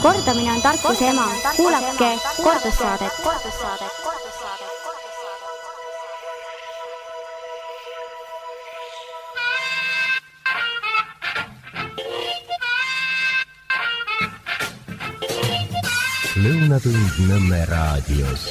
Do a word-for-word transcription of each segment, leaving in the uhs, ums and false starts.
Kordamine on tarkuse ema. Kuulake kordussaadet. Lõunatund Nõmme raadios.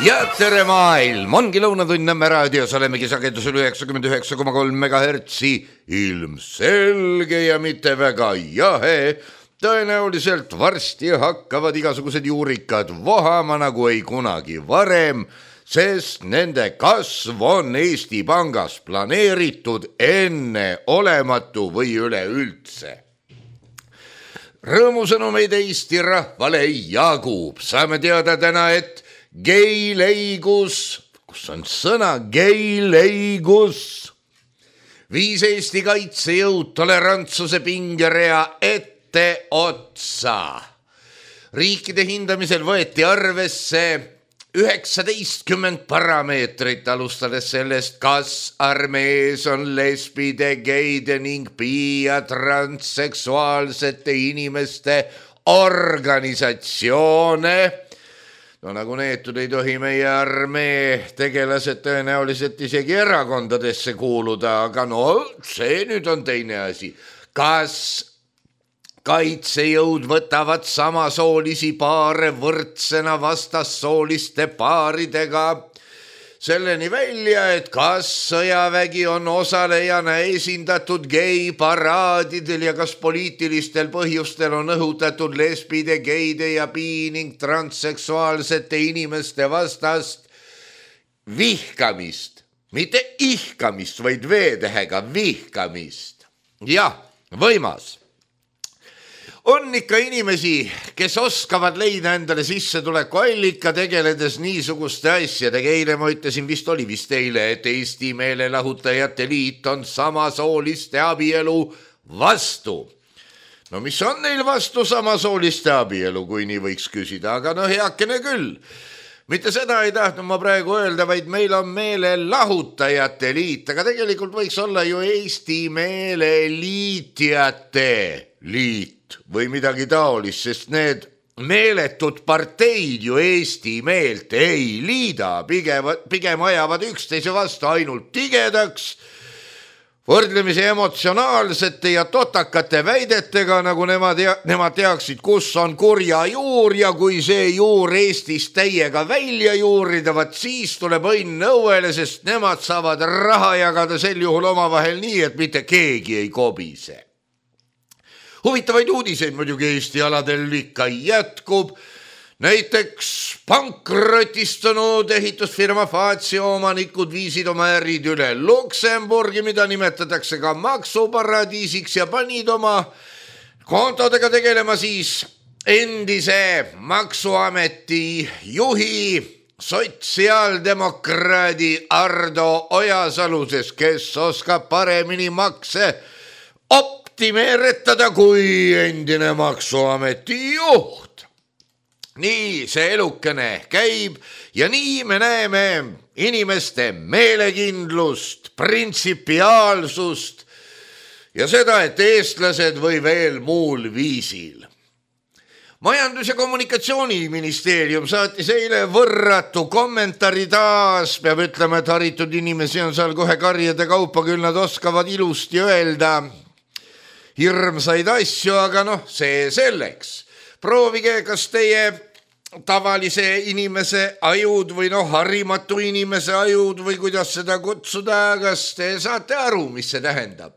Ja tere maailm, ongi Lõunatund Nõmme raadios, olemegi sagedusel üheksakümmend üheksa koma kolm megahertsi, ilmselge ja mitte väga jahe. Tõenäoliselt varsti hakkavad igasugused juurikad vohama nagu ei kunagi varem, sest nende kasv on Eesti Pangas planeeritud enne olematu või üleüldse. Rõõmusõnumeid Eesti rahvale jagub. Saame teada täna, et geileigus, kus on sõna geileigus, viis Eesti kaitsejõud tolerantsuse pingerea ette otsa. Riikide hindamisel võeti arvesse üheksateistkümmend parameetrit, alustades sellest, kas armees on lesbide, geide ning bi- ja transseksuaalsete inimeste organisatsioone. No nagu neetud ei tohi meie armee tegelased tõenäoliselt isegi erakondadesse kuuluda, aga no see nüüd on teine asi. Kas kaitsejõud võtavad samasoolisi paare võrdsena vastassooliste paaridega selleni välja, et kas sõjavägi on osalejana esindatud geiparaadidel ja kas poliitilistel põhjustel on õhutatud lesbide, geide ja bi- ning transseksuaalsete inimeste vastast vihkamist, mitte ihkamist, vaid veedehega vihkamist. Jah, võimas. On ikka inimesi, kes oskavad leida endale sissetuleku allika tegeledes niisuguste asjadega. Eile ma ütlesin, vist oli vist eile, et Eesti meelelahutajate liit on samasooliste abielu vastu. No mis on neil vastu samasooliste abielu, kui nii võiks küsida, aga no heakene küll. Mitte seda ei tahtnud ma praegu öelda, vaid meil on meelelahutajate liit, aga tegelikult võiks olla ju Eesti meeleliitjate liit või midagi taolist, sest need meeletud parteid ju Eesti meelt ei liida, pigem, pigem ajavad üksteise vastu ainult tigedaks, võrdlemisi emotsionaalsete ja totakate väidetega, nagu nemad, nemad teaksid, kus on kurja juur ja kui see juur Eestis täiega välja juurida, vaat siis tuleb õnn õuele, sest nemad saavad raha jagada sel juhul omavahel nii, et mitte keegi ei kobise. Huvitavaid uudiseid muidugi Eesti aladel ikka jätkub. Näiteks pankrotistunud ehitusfirma Fatsio omanikud viisid oma ärid üle Luksemburgi, mida nimetatakse ka maksuparadiisiks, ja panid oma kontodega tegelema siis endise maksuameti juhi sotsiaaldemokraadi Ardo Ojasaluses, kes oskab paremini makse optimeeretada kui endine maksuameti juht. Nii see elukene käib ja nii me näeme inimeste meelekindlust, printsipiaalsust ja seda, et eestlased või veel muul viisil. Majandus- ja kommunikatsiooniministeerium saatis eile võrratu kommentaari taas. Peab ütlema, et haritud inimesi on seal kohe karjade kaupa, küll nad oskavad ilusti öelda hirmsaid asju, aga noh, see selleks. Proovige, kas teie tavalise inimese ajud või noh, harimatu inimese ajud või kuidas seda kutsuda, kas te saate aru, mis see tähendab?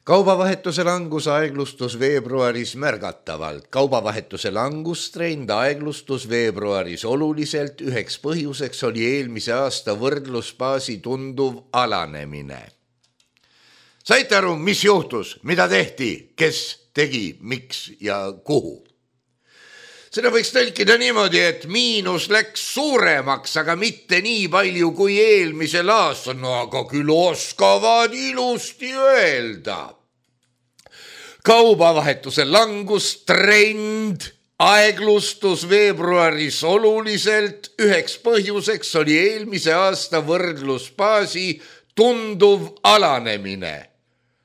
Kaubavahetuse langus aeglustus veebruaris märgatavalt. Kaubavahetuse langustrend aeglustus veebruaris oluliselt. Üheks põhjuseks oli eelmise aasta võrdlusbaasi tunduv alanemine. Saite aru, mis juhtus, mida tehti, kes tegi, miks ja kuhu? Seda võiks tõlkida niimoodi, et miinus läks suuremaks, aga mitte nii palju kui eelmisel aastal. No aga küll oskavad ilusti öelda. Kaubavahetuse langustrend aeglustus veebruaris oluliselt. Üheks põhjuseks oli eelmise aasta võrdlusbaasi tunduv alanemine.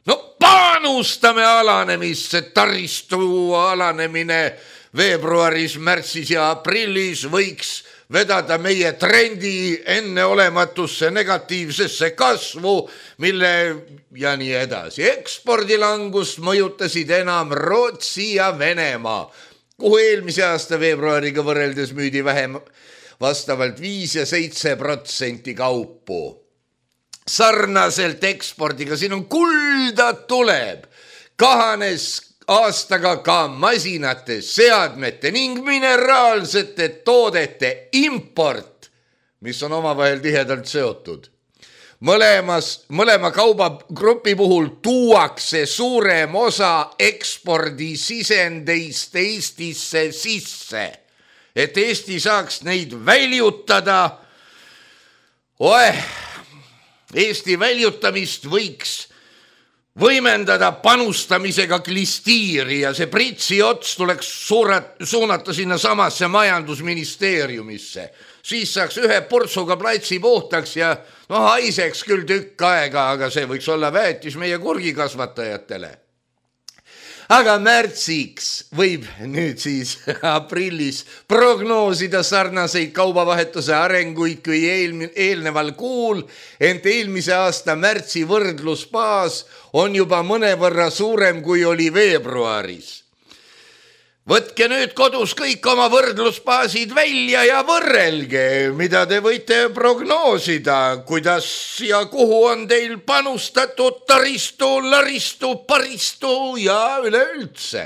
no panustame alanemisse, taristu alanemine veebruaris, märtsis ja aprillis võiks vedada meie trendi enneolematusse negatiivsesse kasvu, mille ja nii edasi. Ekspordilangust mõjutasid enam Rootsi ja Venemaa, kuhu eelmise aasta veebruariga võrreldes müüdi vähem vastavalt viis ja seitse protsenti kaupu. Sarnaselt ekspordiga, siin on kulda tuleb, kahanes aastaga ka masinate, seadmete ning mineraalsete toodete import, mis on omavahel tihedalt seotud. Mõlemas, mõlema kaubagrupi puhul tuuakse suurem osa ekspordisisendeist Eestisse sisse, et Eesti saaks neid väljutada. Oeh, Eesti väljutamist võiks võimendada panustamisega klistiiri ja see pritsi ots tuleks suurat, suunata sinna samasse majandusministeeriumisse. Siis saaks ühe purtsuga platsi puhtaks ja no haiseks küll tükk aega, aga see võiks olla väetis meie kurgikasvatajatele. Aga märtsiks võib nüüd siis aprillis prognoosida sarnaseid kaubavahetuse arenguid kui eelmi, eelneval kuul, ent eelmise aasta märtsi võrdlusbaas on juba mõnevõrra suurem kui oli veebruaris. Võtke nüüd kodus kõik oma võrdlusbaasid välja ja võrrelge, mida te võite prognoosida, kuidas ja kuhu on teil panustatud taristu, laristu, paristu ja üleüldse.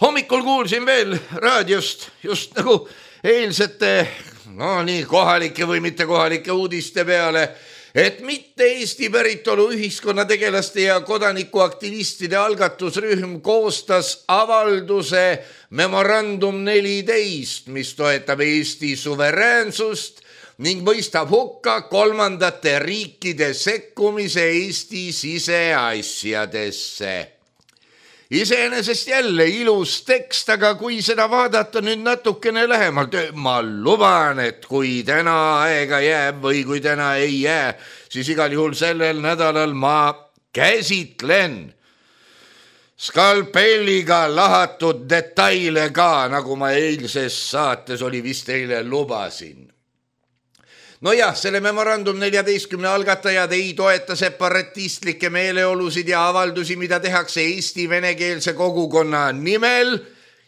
Hommikul kuulsin veel raadiost just nagu eilsete, no nii kohalike või mitte kohalike uudiste peale, et mitte Eesti päritolu ühiskonnategelaste ja kodanikuaktivistide algatusrühm koostas avalduse Memorandum neliteist, mis toetab Eesti suveräänsust ning mõistab hukka kolmandate riikide sekkumise Eesti siseasjadesse. Iseenesest jälle ilus tekst, aga kui seda vaadata nüüd natukene lähemalt, ma luban, et kui täna aega jääb või kui täna ei jää, siis igal juhul sellel nädalal ma käsitlen skalpelliga lahatud detaile ka, nagu ma eilses saates oli vist teile lubasin. No jah, selle Memorandum neljateistkümne algatajad ei toeta separatistlikke meeleolusid ja avaldusi, mida tehakse Eesti venekeelse kogukonna nimel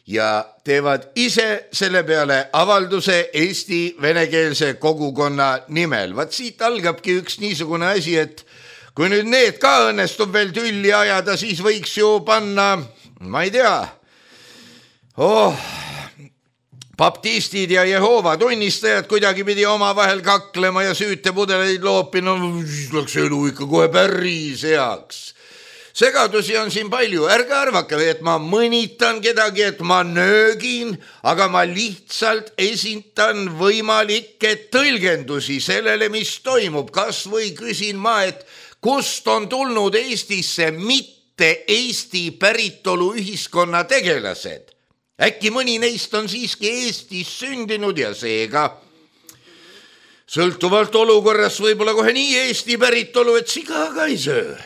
ja teevad ise selle peale avalduse Eesti venekeelse kogukonna nimel. Vaat siit algabki üks niisugune asi, et kui nüüd need ka õnnestub veel tülli ajada, siis võiks ju panna, ma ei tea, oh... baptistid ja Jehoova tunnistajad kuidagi pidi oma vahel kaklema ja süütepudeleid loopina, siis läks elu ikka kohe päris heaks. Segadusi on siin palju, ärge arvake, et ma mõnitan kedagi, et ma nöögin, aga ma lihtsalt esindan võimalikke tõlgendusi sellele, mis toimub. Kas või küsin ma, et kust on tulnud Eestisse mitte Eesti päritolu ühiskonna tegelased? Äkki mõni neist on siiski Eestis sündinud ja seega sõltuvalt olukorras võib-olla kohe nii Eesti päritolu, et siga ka ei söö.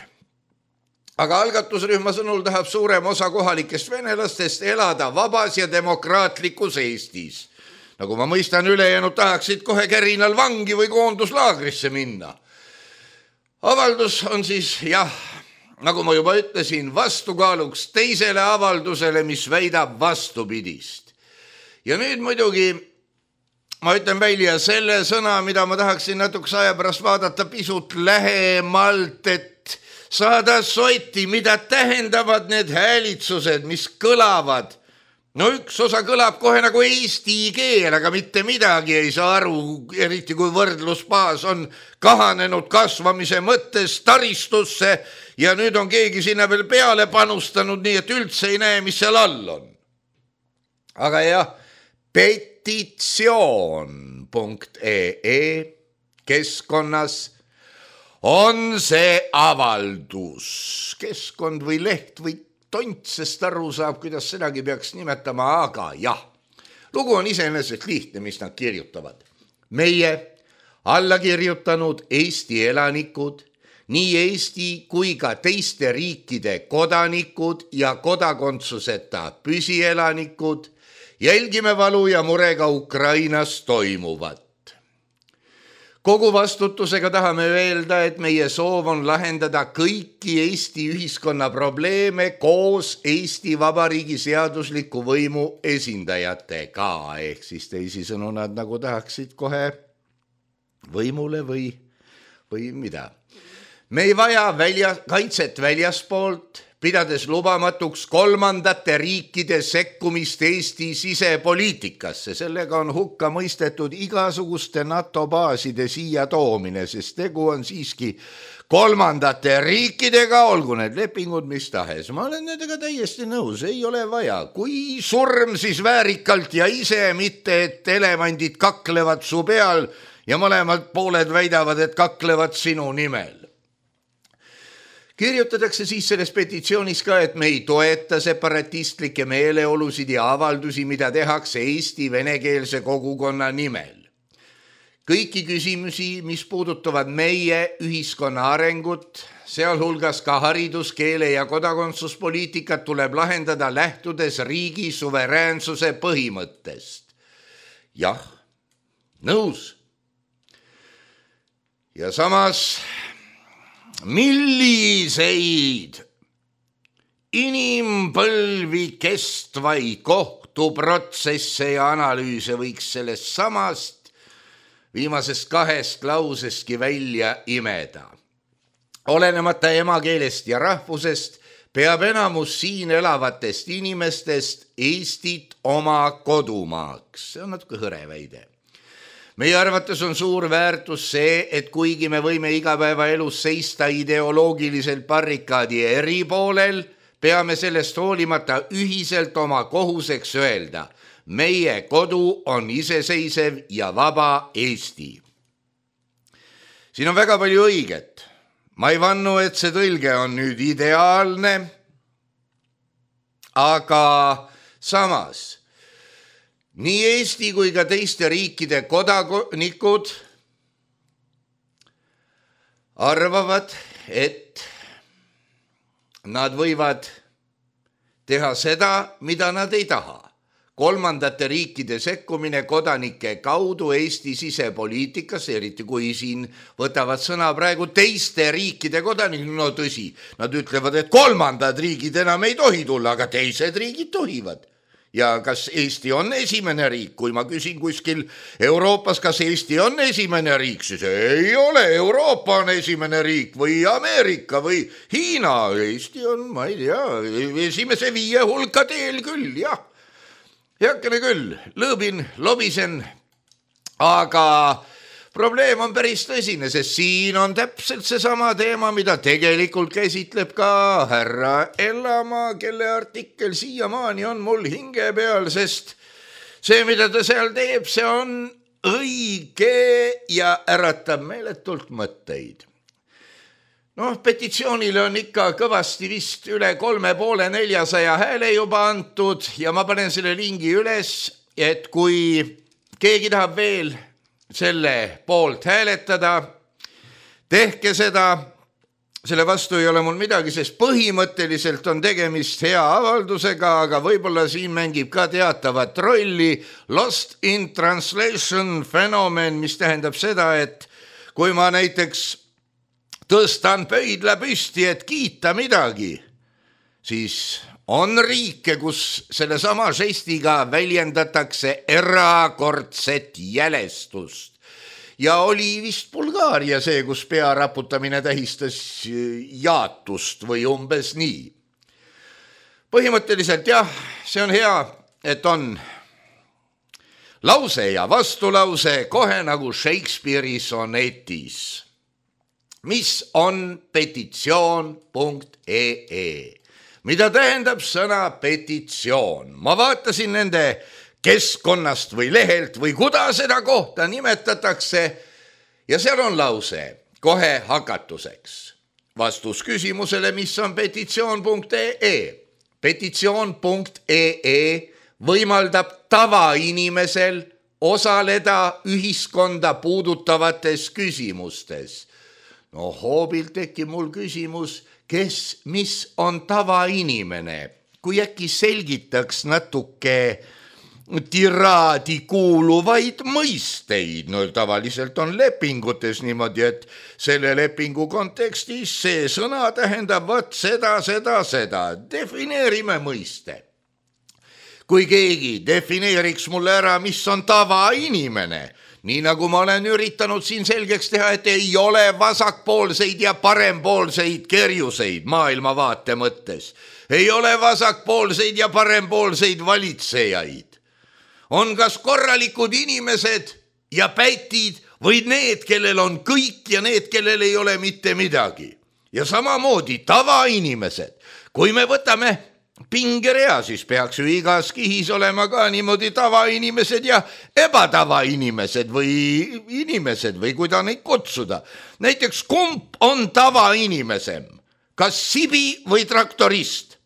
Aga algatusrühma sõnul tahab suurem osa kohalikest venelastest elada vabas ja demokraatlikus Eestis. Nagu ma mõistan, ülejäänud tahaksid kohe kärinal vangi või koonduslaagrisse minna. Avaldus on siis, jah, nagu ma juba ütlesin, vastukaaluks teisele avaldusele, mis väidab vastupidist. Ja nüüd muidugi ma ütlen välja selle sõna, mida ma tahaksin natukese aja pärast vaadata pisut lähemalt, et saada sotti, mida tähendavad need häälitsused, mis kõlavad. No üks osa kõlab kohe nagu eesti keel, aga mitte midagi ei saa aru, eriti kui võrdlusbaas on kahanenud kasvamise mõttes taristusse ja nüüd on keegi sinna veel peale panustanud, nii et üldse ei näe, mis seal all on. Aga jah, petitsioon punkt ee keskkonnas on see avaldus. Keskkond või leht või tontsest aru saab, kuidas sedagi peaks nimetama, aga jah, lugu on iseenesest lihtne, mis nad kirjutavad. Meie alla kirjutanud Eesti elanikud nii Eesti kui ka teiste riikide kodanikud ja kodakondsuseta püsielanikud, jälgime valu ja murega Ukrainas toimuvat. Kogu vastutusega tahame öelda, et meie soov on lahendada kõiki Eesti ühiskonna probleeme koos Eesti Vabariigi seadusliku võimu esindajatega, ehk siis teisisõnu nad nagu tahaksid kohe võimule või, või mida. Me ei vaja välja, kaitset väljaspoolt, pidades lubamatuks kolmandate riikide sekkumist Eesti sisepoliitikasse. Sellega on hukka mõistetud igasuguste NATO baaside siia toomine, sest tegu on siiski kolmandate riikidega, olgu need lepingud mis tahes. Ma olen nendega täiesti nõus, ei ole vaja. Kui surm, siis väärikalt ja ise, mitte et elevandid kaklevad su peal ja mõlemad pooled väidavad, et kaklevad sinu nimel. Kirjutatakse siis selles petitsioonis ka, et me ei toeta separatistlikke meeleolusid ja avaldusi, mida tehakse Eesti venekeelse kogukonna nimel. Kõiki küsimusi, mis puudutavad meie ühiskonna arengut, sealhulgas ka haridus-, keele- ja kodakondsuspoliitikat, tuleb lahendada lähtudes riigi suveräänsuse põhimõttest. Jah, nõus. Ja samas... Milliseid inimpõlvi kestvaid kohtuprotsesse ja analüüse võiks sellest samast viimasest kahest lausestki välja imeda. Olenemata emakeelest ja rahvusest peab enamus siin elavatest inimestest Eestit oma kodumaaks. See on natuke hõre väide. Meie arvates on suur väärtus see, et kuigi me võime igapäevaelus seista ideoloogiliselt barrikaadi eri poolel, peame sellest hoolimata ühiselt oma kohuseks öelda. Meie kodu on iseseisev ja vaba Eesti. Siin on väga palju õiget. Ma ei vannu, et see tõlge on nüüd ideaalne, aga samas... Nii Eesti kui ka teiste riikide kodanikud arvavad, et nad võivad teha seda, mida nad ei taha. Kolmandate riikide sekkumine kodanike kaudu Eesti sisepoliitikas, eriti kui siin võtavad sõna praegu teiste riikide kodanikud, no tõsi, nad ütlevad, et kolmandad riigid enam ei tohi tulla, aga teised riigid tohivad. Ja kas Eesti on esimene riik? Kui ma küsin kuskil Euroopas, kas Eesti on esimene riik, siis ei ole. Euroopa on esimene riik või Ameerika või Hiina. Eesti on, ma ei tea, esimese viie hulka teel küll, jah. Heakene küll, lõõbin, lobisen, aga probleem on päris tõsine, sest siin on täpselt seesama teema, mida tegelikult käsitleb ka härra Ellamaa, kelle artikkel siiamaani on mul hinge peal, sest see, mida ta seal teeb, see on õige ja äratab meeletult mõtteid. Noh, petitsioonile on ikka kõvasti vist üle kolme poole neljasaja hääle juba antud ja ma panen selle lingi üles, et kui keegi tahab veel selle poolt hääletada, tehke seda, selle vastu ei ole mul midagi, sest põhimõtteliselt on tegemist hea avaldusega, aga võib-olla siin mängib ka teatavat rolli lost in translation fenomen, mis tähendab seda, et kui ma näiteks tõstan pöidla püsti, et kiita midagi, siis on riike, kus selle sama žestiga väljendatakse erakordset jälestust. Ja oli vist Bulgaaria see, kus pea raputamine tähistas jaatust või umbes nii. Põhimõtteliselt jah, see on hea, et on lause ja vastulause kohe nagu Shakespeare'i sonetis. Mis on petitsioon punkt ee? Mida tähendab sõna petitsioon? Ma vaatasin nende keskkonnast või lehelt või kuda seda kohta nimetatakse ja seal on lause kohe hakatuseks. Vastus küsimusele, mis on petitsioon punkt ee. Petitsioon punkt ee võimaldab tavainimesel osaleda ühiskonda puudutavates küsimustes. no hoobilt tekib mul küsimus, kes, mis on tavainimene, kui äkki selgitaks natuke tiraadi kuuluvaid mõisteid. No tavaliselt on lepingutes niimoodi, et selle lepingu kontekstis see sõna tähendab võt seda, seda, seda. Defineerime mõiste. Kui keegi defineeriks mulle ära, mis on tavainimene, nii nagu ma olen üritanud siin selgeks teha, et ei ole vasakpoolseid ja parempoolseid kerjuseid maailmavaate mõttes. Ei ole vasakpoolseid ja parempoolseid valitsejaid. On kas korralikud inimesed ja pätid või need, kellel on kõik ja need, kellel ei ole mitte midagi. Ja samamoodi tavainimesed. Kui me võtame pingerea, siis peaks ju igas kihis olema ka niimoodi tavainimesed ja ebatavainimesed või inimesed või kuida neid kutsuda. Näiteks kumb on tavainimesem? Kas sibi või traktorist?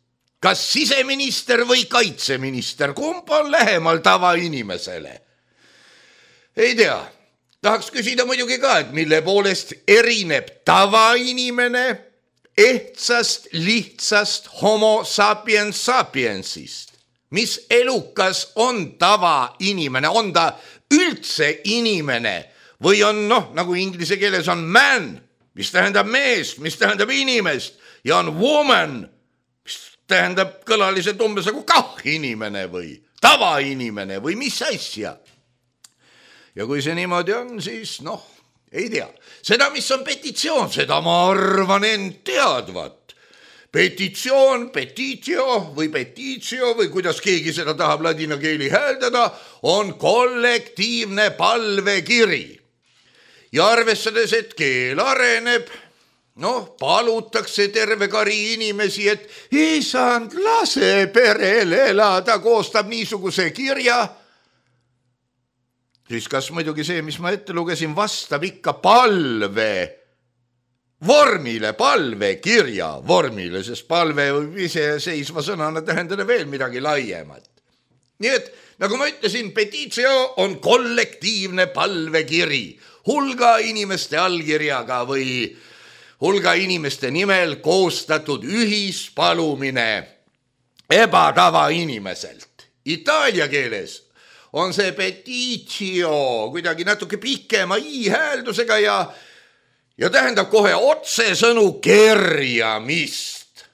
Kas siseminister või kaitseminister? Kumb on lähemal tavainimesele? Ei tea. Tahaks küsida muidugi ka, et mille poolest erineb tavainimene ehtsast, lihtsast homo sapiens sapiensist. Mis elukas on tavainimene? On ta üldse inimene? Või on, noh, nagu inglise keeles on man, mis tähendab meest, mis tähendab inimest, ja on woman, tähendab kõlaliselt umbes nagu kah inimene või tavainimene või mis asja. Ja kui see niimoodi on, siis noh, ei tea. Seda, mis on petitsioon, seda ma arvan end teadvat. Petitsioon, petitio või petitio või kuidas keegi seda tahab ladina keeli hääldada, on kollektiivne palvekiri. Ja arvestades, et keel areneb, noh, palutakse terve kari inimesi, et isand, lase perel elada, koostab niisuguse kirja. Siis kas muidugi see, mis ma ette lugesin, vastab ikka palve vormile, palve kirja vormile, sest palve võib ise seisva sõnana tähendada veel midagi laiemat. Nii et, nagu ma ütlesin, petitio on kollektiivne palvekiri, hulga inimeste allkirjaga või hulga inimeste nimel koostatud ühispalumine ebatava inimeselt. Itaalia keeles on see petitio kuidagi natuke pikema i-hääldusega ja, ja tähendab kohe otsesõnu kerjamist.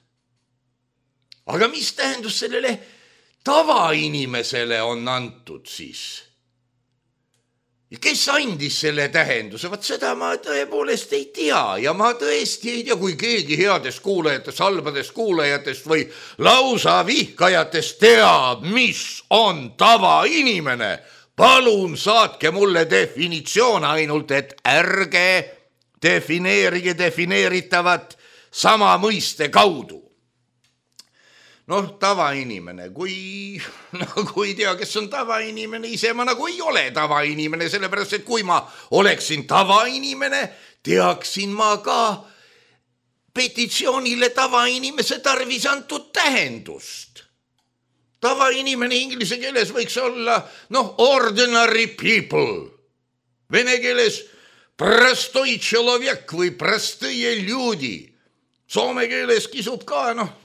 Aga mis tähendus sellele tavainimesele on antud siis? Ja kes andis selle tähenduse? Vaat seda ma tõepoolest ei tea ja ma tõesti ei tea, kui keegi headest kuulajatest, halbadest kuulajatest või lausa vihkajatest teab, mis on tavainimene. Palun saatke mulle definitsioon ainult, et ärge defineerige defineeritavat sama mõiste kaudu. Noh, tavainimene, kui, no, kui tea, kes on tavainimene, ise ma nagu ei ole tavainimene, sellepärast, et kui ma oleksin tavainimene, teaksin ma ka petitsioonile tavainimese tarvis antud tähendust. Tavainimene inglise keeles võiks olla, noh, ordinary people. Vene keeles простой человек või простые люди. Soome keeles kisub ka, noh,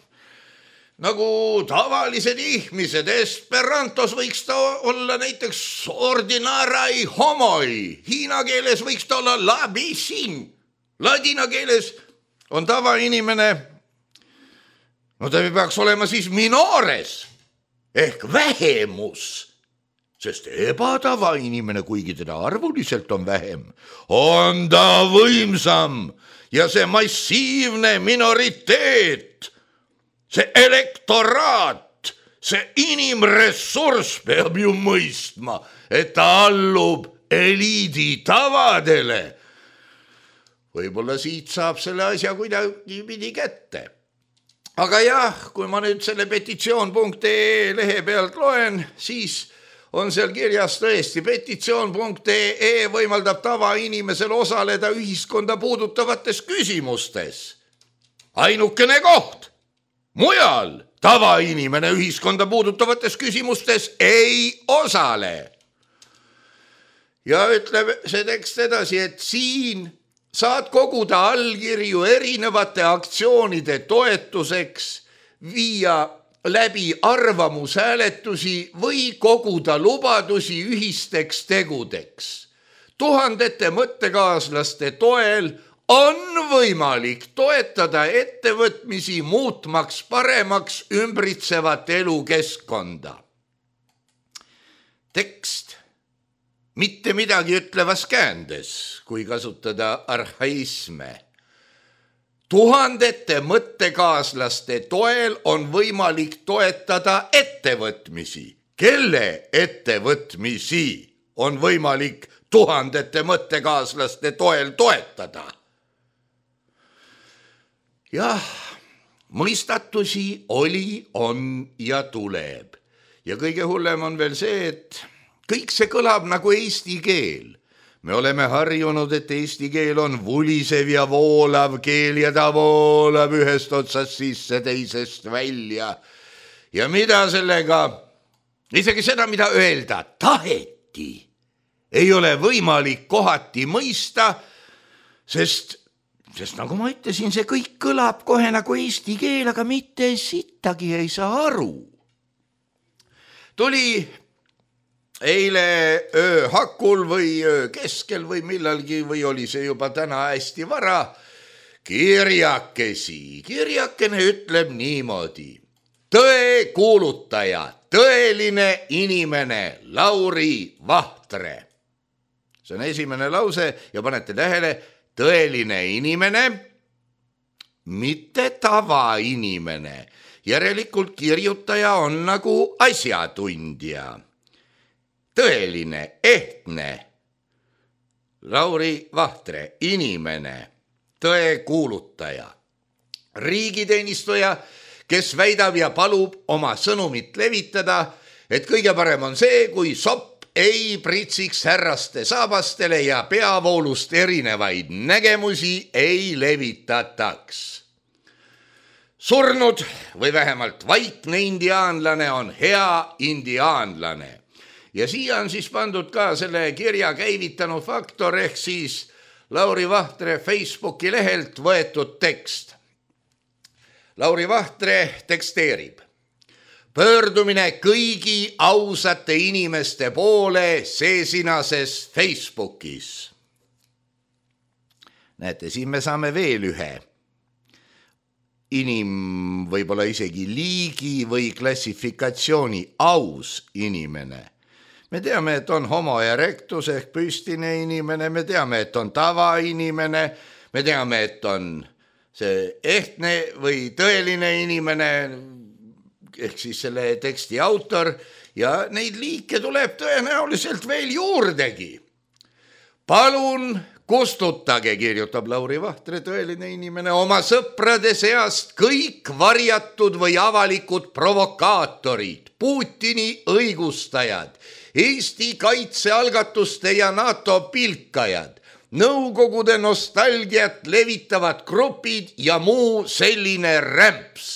nagu tavalised ihmised. Esperantos võiks ta olla näiteks ordinarai homoi. Hiina keeles võiks ta olla labisin. Ladina keeles on tavainimene, no ta peaks olema siis minores ehk vähemus, sest ebatavainimene, kuigi teda arvuliselt on vähem, on ta võimsam ja see massiivne minoriteet, see elektoraat, see inimressurss peab ju mõistma, et ta allub eliidi tavadele. Võib-olla siit saab selle asja kuidagi pidi kätte. Aga jah, kui ma nüüd selle petitsioon punkt ee lehe pealt loen, siis on seal kirjas tõesti, petitsioon punkt ee võimaldab tavainimesel osaleda ühiskonda puudutavates küsimustes. Ainukene koht. Mujal tavainimene ühiskonda puudutavates küsimustes ei osale. Ja ütleb see tekst edasi, et siin saad koguda allkirju erinevate aktsioonide toetuseks, viia läbi arvamushääletusi või koguda lubadusi ühisteks tegudeks. Tuhandete mõttekaaslaste toel on võimalik toetada ettevõtmisi muutmaks paremaks ümbritsevat elukeskkonda. Tekst mitte midagi ütlevas käändes, kui kasutada arhaisme. Tuhandete mõttekaaslaste toel on võimalik toetada ettevõtmisi. Kelle ettevõtmisi on võimalik tuhandete mõttekaaslaste toel toetada? Jah, mõistatusi oli, on ja tuleb. Ja kõige hullem on veel see, et kõik see kõlab nagu eesti keel. Me oleme harjunud, et eesti keel on vulisev ja voolav keel ja ta voolab ühest otsast sisse teisest välja. Ja mida sellega, isegi seda, mida öelda taheti, ei ole võimalik kohati mõista, sest, sest nagu ma ütlesin, see kõik kõlab kohe nagu eesti keel, aga mitte sittagi ei saa aru. Tuli eile öö hakul või öö keskel või millalgi või oli see juba täna hästi vara, kirjakesi. Kirjakene ütleb niimoodi. Tõe kuulutaja, tõeline inimene, Lauri Vahtre. See on esimene lause ja panete tähele, tõeline inimene, mitte tavainimene. Järelikult kirjutaja on nagu asjatundja. Tõeline, ehtne, Lauri Vahtre, inimene, tõe kuulutaja, riigiteenistuja, kes väidab ja palub oma sõnumit levitada, et kõige parem on see, kui sopp ei pritsiks härraste saabastele ja peavoolust erinevaid nägemusi ei levitataks. Surnud või vähemalt vaikne indiaanlane on hea indiaanlane. Ja siia on siis pandud ka selle kirja käivitanud faktor ehk siis Lauri Vahtre Facebooki lehelt võetud tekst. Lauri Vahtre teksteerib. Pöördumine kõigi ausate inimeste poole seesinases Facebookis. Näete, siin me saame veel ühe inim, võib-olla isegi liigi või klassifikatsiooni aus inimene. Me teame, et on homo erectus ehk püstine inimene, me teame, et on tavainimene, me teame, et on see ehtne või tõeline inimene ehk siis selle teksti autor ja neid liike tuleb tõenäoliselt veel juurdegi. Palun kustutage, kirjutab Lauri Vahtre, tõeline inimene, oma sõprade seast kõik varjatud või avalikud provokaatorid, Putini õigustajad, Eesti kaitsealgatuste ja NATO pilkajad, Nõukogude nostalgiat levitavad grupid ja muu selline rämps.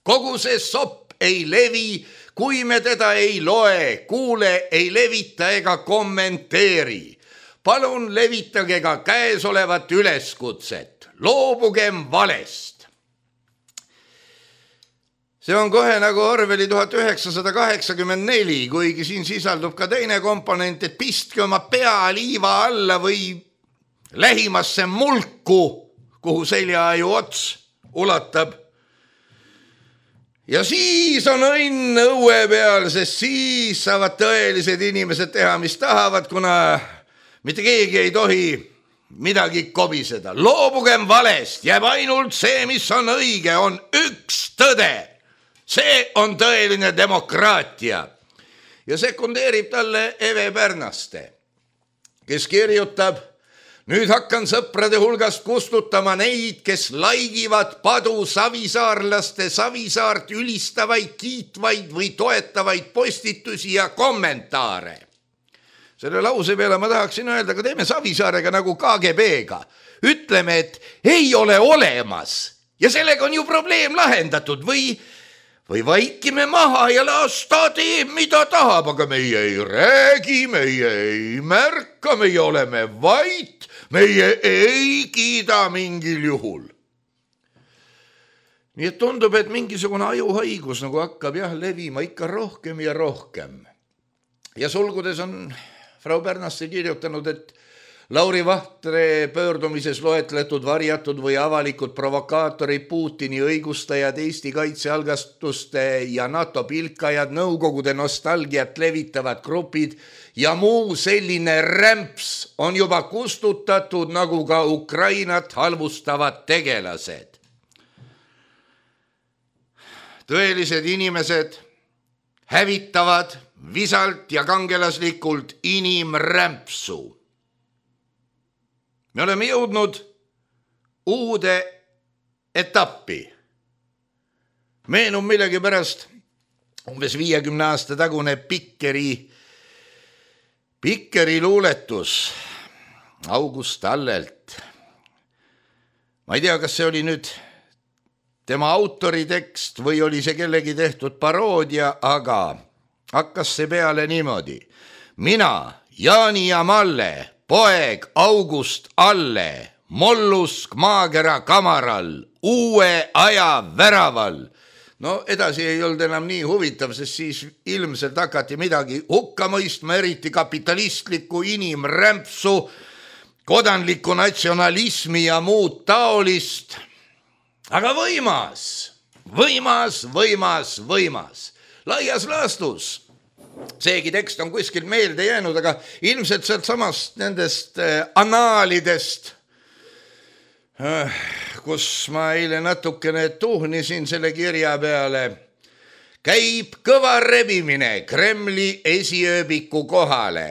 Kogu see sopp ei levi, kui me teda ei loe, kuule, ei levita ega kommenteeri. Palun levitage ka käesolevat üleskutset. Loobugem valest. See on kohe nagu Orwelli tuhat üheksasada kaheksakümmend neli, kuigi siin sisaldub ka teine komponent, et pistke oma pea liiva alla või lähimasse mulku, kuhu seljaaju ots ulatab. Ja siis on õnn õue peal, sest siis saavad tõelised inimesed teha, mis tahavad, kuna mitte keegi ei tohi midagi kobiseda. Loobugem valest, jääb ainult see, mis on õige, on üks tõde. See on tõeline demokraatia. Ja sekundeerib talle Eve Pärnaste, kes kirjutab, nüüd hakkan sõprade hulgast kustutama neid, kes laigivad padu savisaarlaste Savisaart ülistavaid, kiitvaid või toetavaid postitusi ja kommentaare. Selle lause peale ma tahaksin öelda, aga teeme Savisaarega nagu K G B-ga. Ütleme, et ei ole olemas ja sellega on ju probleem lahendatud või või vaikime maha ja las ta teeb, mida tahab, aga meie ei räägi, meie ei märka, meie oleme vait, meie ei kiida mingil juhul. Nii et tundub, et mingisugune ajuhaigus nagu hakkab jah levima ikka rohkem ja rohkem. Ja sulgudes on Frau Pärnasse kirjutanud, et Lauri Vahtre pöördumises loetletud varjatud või avalikud provokaatorid, Putini õigustajad, Eesti kaitsealgastuste ja NATO pilkajad, nõukogude nostalgiat levitavad grupid ja muu selline rämps on juba kustutatud nagu ka Ukrainat halvustavad tegelased. Tõelised inimesed hävitavad visalt ja kangelaslikult inimrämpsu. Me oleme jõudnud uude etappi. Meenub millegi pärast umbes viiekümne aasta tagune Pikkeri, Pikkeri luuletus August Allelt. Ma ei tea, kas see oli nüüd tema autori tekst või oli see kellegi tehtud paroodia, aga hakkas see peale niimoodi. Mina, Jaani ja Malle, poeg August Alle, mollusk maakera kamaral, uue aja väraval. No edasi ei olnud enam nii huvitav, sest siis ilmselt hakati midagi hukka mõistma, eriti kapitalistlikku inimrämpsu, kodanlikku natsionalismi ja muud taolist. Aga võimas, võimas, võimas, võimas. Laias laastus. Seegi tekst on kuskil meelde jäänud, aga ilmselt sealt samast nendest anaalidest, kus ma eile natukene tuhnisin selle kirja peale, käib kõva rebimine Kremli esiööbiku kohale.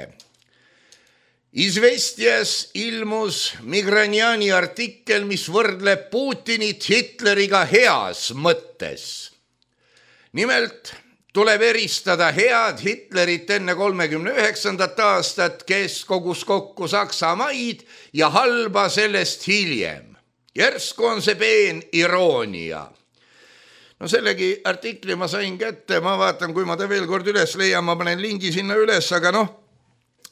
Izvestjas ilmus Migranjani artikkel, mis võrdleb Putinit Hitleriga heas mõttes. Nimelt tuleb eristada head Hitlerit enne kolmekümne üheksandat aastat, kes kogus kokku Saksa maid ja halba sellest hiljem. Järsku on see peen iroonia. No sellegi artikli ma sain kätte, ma vaatan, kui ma ta veel kord üles leian, ma panen lingi sinna üles, aga noh,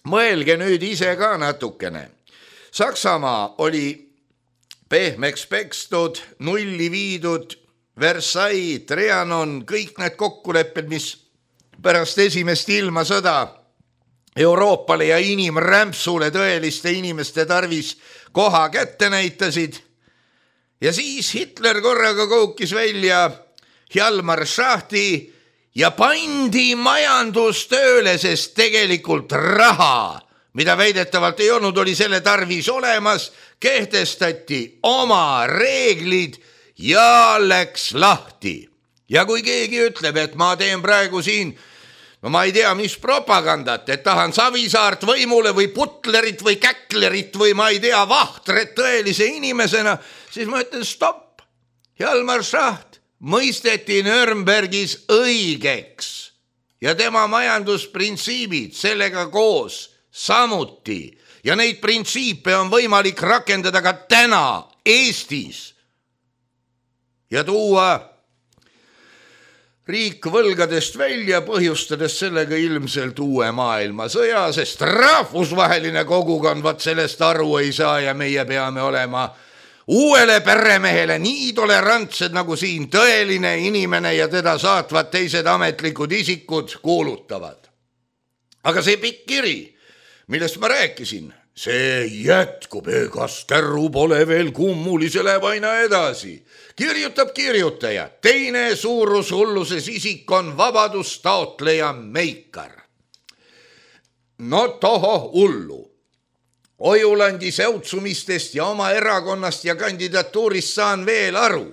mõelge nüüd ise ka natukene. Saksamaa oli pehmeks pekstud, nulli viidud, Versailles, Trianon, kõik need kokkulepped, mis pärast esimest ilmasõda Euroopale ja inimrämpsule tõeliste inimeste tarvis koha kätte näitasid. Ja siis Hitler korraga koukis välja Hjalmar Schachti ja pandi majandustööle, sest tegelikult raha, mida väidetavalt ei olnud, oli selle tarvis olemas, kehtestati oma reeglid ja läks lahti. Ja kui keegi ütleb, et ma teen praegu siin, no ma ei tea, mis propagandat, et tahan Savisaart võimule või Putlerit või Käklerit või ma ei tea, Vahtret tõelise inimesena, siis ma ütlen stopp. Hjalmar Schacht mõisteti Nürnbergis õigeks ja tema majandusprintsiibid sellega koos samuti. Ja neid printsiipe on võimalik rakendada ka täna Eestis. Ja tuua riik võlgadest välja, põhjustades sellega ilmselt uue maailmasõja, sest rahvusvaheline kogukond vaat sellest aru ei saa ja meie peame olema uuele peremehele nii tolerantsed, nagu siin tõeline inimene ja teda saatvad teised ametlikud isikud kuulutavad. Aga see pikk kiri, millest ma rääkisin, see jätkub, egas kärru pole veel kummuli, see läheb aina edasi. Kirjutab kirjutaja, teine suurushulluses isik on vabadustaotleja Meikar. No toho hullu. Ojulandi säutsumistest ja oma erakonnast ja kandidatuurist saan veel aru.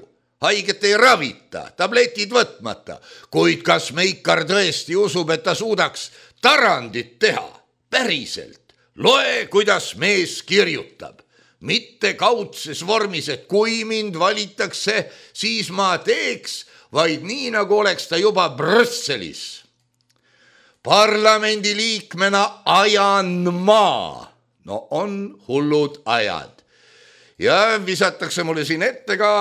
Haiget ei ravita, tabletid võtmata, kuid kas Meikar tõesti usub, et ta suudaks tarandit teha? Päriselt. Loe, kuidas mees kirjutab. Mitte kaudses vormis, et kui mind valitakse, siis ma teeks, vaid nii, nagu oleks ta juba Brüsselis. Parlamendi liikmena ajan ma. No on hullud ajad. Ja visatakse mulle siin ette ka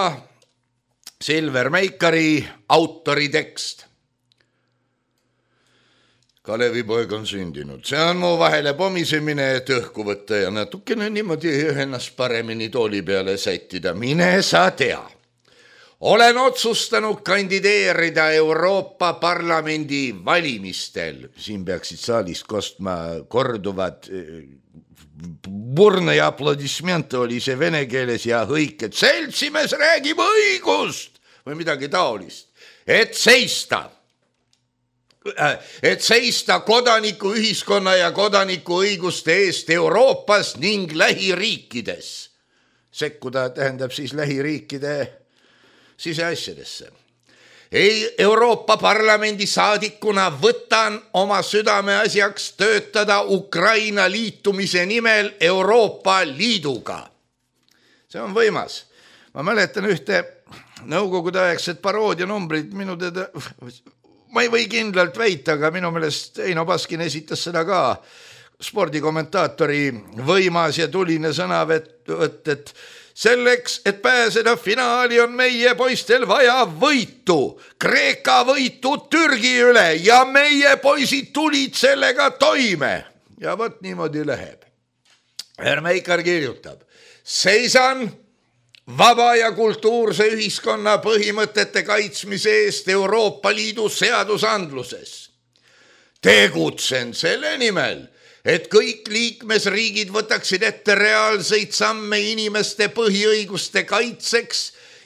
Silver Meikari autori tekst. Kalevipoeg on sündinud. See on mu vahele pomisemine, et õhku võtta ja natukene niimoodi ennast paremini tooli peale sättida. Mine sa tea. Olen otsustanud kandideerida Euroopa Parlamendi valimistel. Siin peaksid saalist kostma korduvad burne ja aplodismente oli see vene keeles ja hõik, et seltsimees räägib õigust või midagi taolist. Et seista. Et seista kodaniku ühiskonna ja kodaniku õiguste eest Euroopas ning lähiriikides. Sekkuda tähendab siis lähiriikide siseasjadesse. Ei, Euroopa Parlamendi saadikuna võtan oma südame asjaks töötada Ukraina liitumise nimel Euroopa Liiduga. See on võimas. Ma mäletan ühte nõukogude aegset paroodianumbrit minu teda... Ma ei või kindlalt väita, aga minu meelest Eino Baskin esitas seda ka spordikommentaatori võimas ja tuline sõnavõtt, et selleks, et pääseda finaali on meie poistel vaja võitu, Kreeka võitu Türgi üle ja meie poisid tulid sellega toime. Ja võt niimoodi läheb. Herr Meikar kirjutab, seisan vaba ja kultuurse ühiskonna põhimõtete kaitsmise eest Euroopa Liidu seadusandluses. Tegutsen selle nimel, et kõik liikmesriigid võtaksid ette reaalseid samme inimeste põhiõiguste kaitseks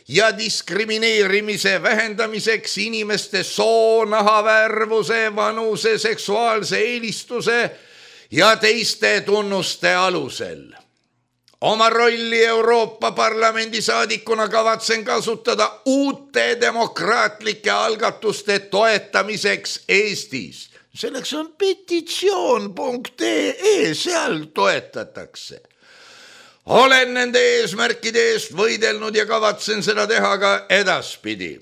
ja diskrimineerimise vähendamiseks inimeste soo, nahavärvuse, vanuse, seksuaalse eelistuse ja teiste tunnuste alusel. Oma rolli Euroopa Parlamendi saadikuna kavatsen kasutada uute demokraatlike algatuste toetamiseks Eestis. Selleks on petitsioon punkt ee, seal toetatakse. Olen nende eesmärkide eest võidelnud ja kavatsen seda teha ka edaspidi.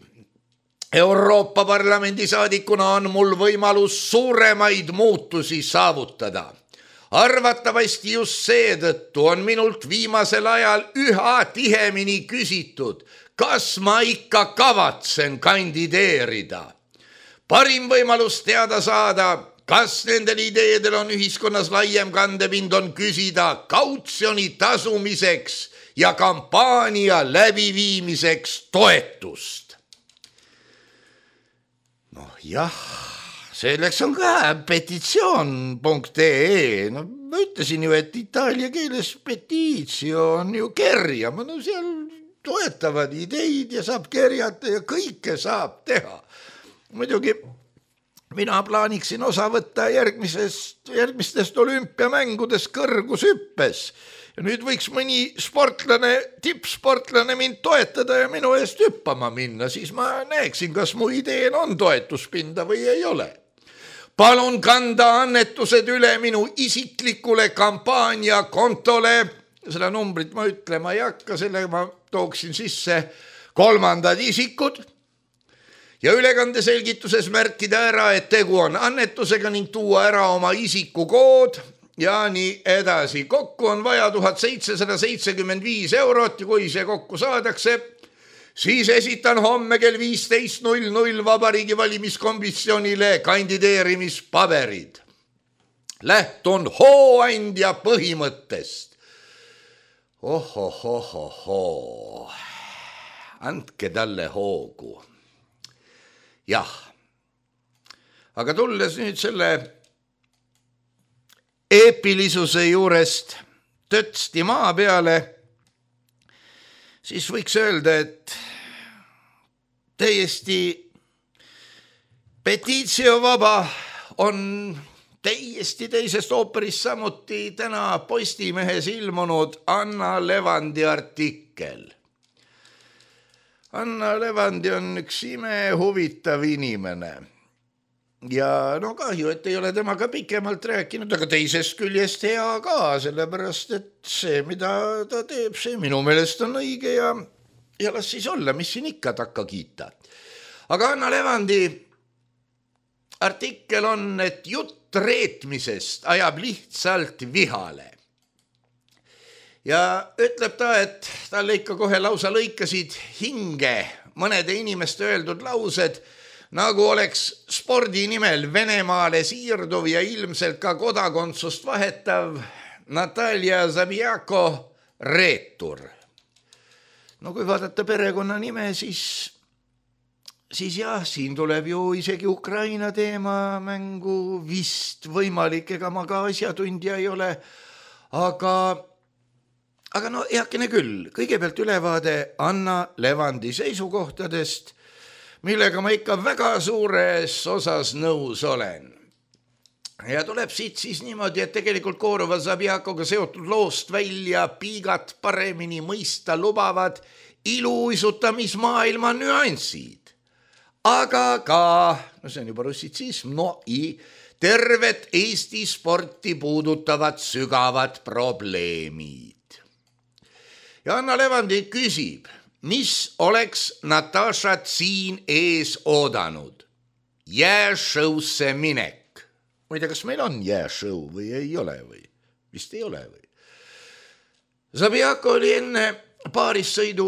Euroopa Parlamendi saadikuna on mul võimalus suuremaid muutusi saavutada. Arvatavasti just seetõttu on minult viimasel ajal üha tihemini küsitud, kas ma ikka kavatsen kandideerida. Parim võimalus teada saada, kas nendel ideedel on ühiskonnas laiem kandepind on küsida kautsjoni tasumiseks ja kampaania läbiviimiseks toetust. Noh jah. Selleks on ka petitsioon punkt ee. No, ma ütlesin ju, et itaalia keeles petitio on ju kerjama. No seal toetavad ideid ja saab kerjata ja kõike saab teha. Muidugi mina plaaniksin osa võtta järgmisest, järgmistest olümpiamängudest kõrgushüppes. Ja nüüd võiks mõni sportlane, tippsportlane mind toetada ja minu eest hüppama minna. Siis ma näeksin, kas mu ideen on toetuspinda või ei ole. Palun kanda annetused üle minu isiklikule kampaania kontole. Seda numbrit ma ütlema ei hakka, selle ma tooksin sisse kolmandad isikud. Ja ülekande selgituses märkida ära, et tegu on annetusega ning tuua ära oma isikukood ja nii edasi. Kokku on vaja tuhat seitsesada seitsekümmend viis eurot ja kui see kokku saadakse, siis esitan homme kell viisteist null null Vabariigi valimiskomisjonile kandideerimispaberid. Lähtun hooandja põhimõttest. Ohohohoho. Andke talle hoogu. Jah. Aga tulles nüüd selle eepilisuse juurest tötsti maa peale, siis võiks öelda, et täiesti petitiovaba on täiesti teisest ooperist samuti täna Postimehes ilmunud Anna Levandi artikkel. Anna Levandi on üks ime huvitav inimene. Ja no kahju, et ei ole temaga pikemalt rääkinud, aga teisest küljest hea ka, sellepärast, et see, mida ta teeb, see minu meelest on õige ja, ja las siis olla, mis siin ikka takka kiita. Aga Anna Levandi artikkel on, et jutt reetmisest ajab lihtsalt vihale. ja ütleb ta, et talle ikka kohe lausa lõikasid hinge mõnede inimeste öeldud laused, nagu oleks spordi nimel Venemaale siirduv ja ilmselt ka kodakondsust vahetav Natalja Zabijako reetur. No kui vaadata perekonna nime, siis, siis jah, siin tuleb ju isegi Ukraina teema mängu, vist võimalik, ega ma ka asjatundja ei ole, aga, aga no heakene küll, kõigepealt ülevaade Anna Levandi seisukohtadest, millega ma ikka väga suures osas nõus olen. Ja tuleb siit siis niimoodi, et tegelikult Koorova Zabijakoga seotud loost välja piigat paremini mõista lubavad iluisutamismaailma nüansid. Aga ka, no see on juba russitsism, no i tervet Eesti sporti puudutavad sügavad probleemid. Ja Anna Levandi küsib, mis oleks Natašat siin ees oodanud? Jääšõusse minek. Ma ei tea, kas meil on jääšõu või ei ole või? Vist ei ole või? Zabijako oli enne paarissõidu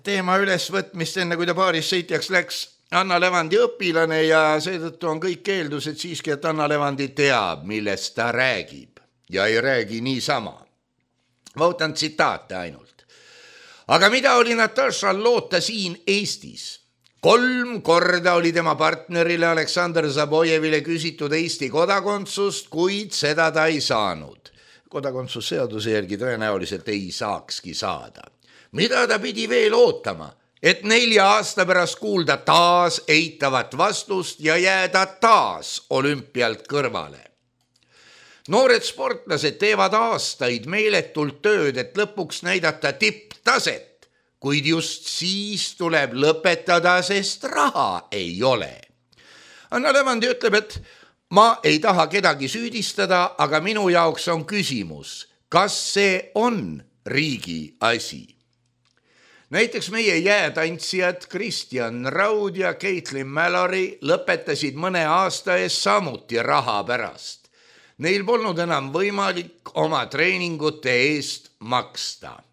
teema ülesvõtmist, enne kui ta paarissõitjaks läks, Anna Levandi õpilane ja seetõttu on kõik eeldused siiski, et Anna Levandi teab, millest ta räägib ja ei räägi niisama. Võtan tsitaate ainult. Aga mida oli Natašal loota siin Eestis? Kolm korda oli tema partnerile Aleksandr Zabojevile küsitud Eesti kodakondsust, kuid seda ta ei saanud. Kodakondsusseaduse järgi tõenäoliselt ei saakski saada. Mida ta pidi veel ootama? Et nelja aasta pärast kuulda taas eitavat vastust ja jääda taas olümpialt kõrvale. Noored sportlased teevad aastaid meeletult tööd, et lõpuks näidata tipptaset, kuid just siis tuleb lõpetada, sest raha ei ole. Anna Levandi ütleb, et ma ei taha kedagi süüdistada, aga minu jaoks on küsimus, kas see on riigi asi. Näiteks meie jäätantsijad Kristjan Raud ja Caitlin Mallory lõpetasid mõne aasta ees samuti raha pärast. Neil polnud enam võimalik oma treeningute eest maksta.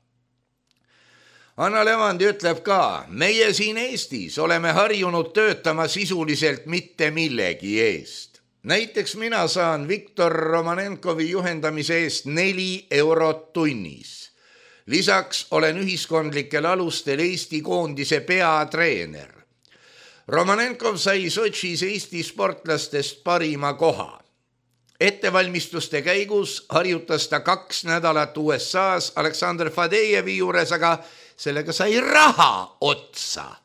Anna Levandi ütleb ka, meie siin Eestis oleme harjunud töötama sisuliselt mitte millegi eest. Näiteks mina saan Viktor Romanenkovi juhendamise eest neli eurot tunnis. Lisaks olen ühiskondlikel alustel Eesti koondise peatreener. Romanenkov sai Sotšis Eesti sportlastest parima koha. Ettevalmistuste käigus harjutas ta kaks nädalat U S A-s Aleksandr Fadejevi juures, aga sellega sai raha otsa.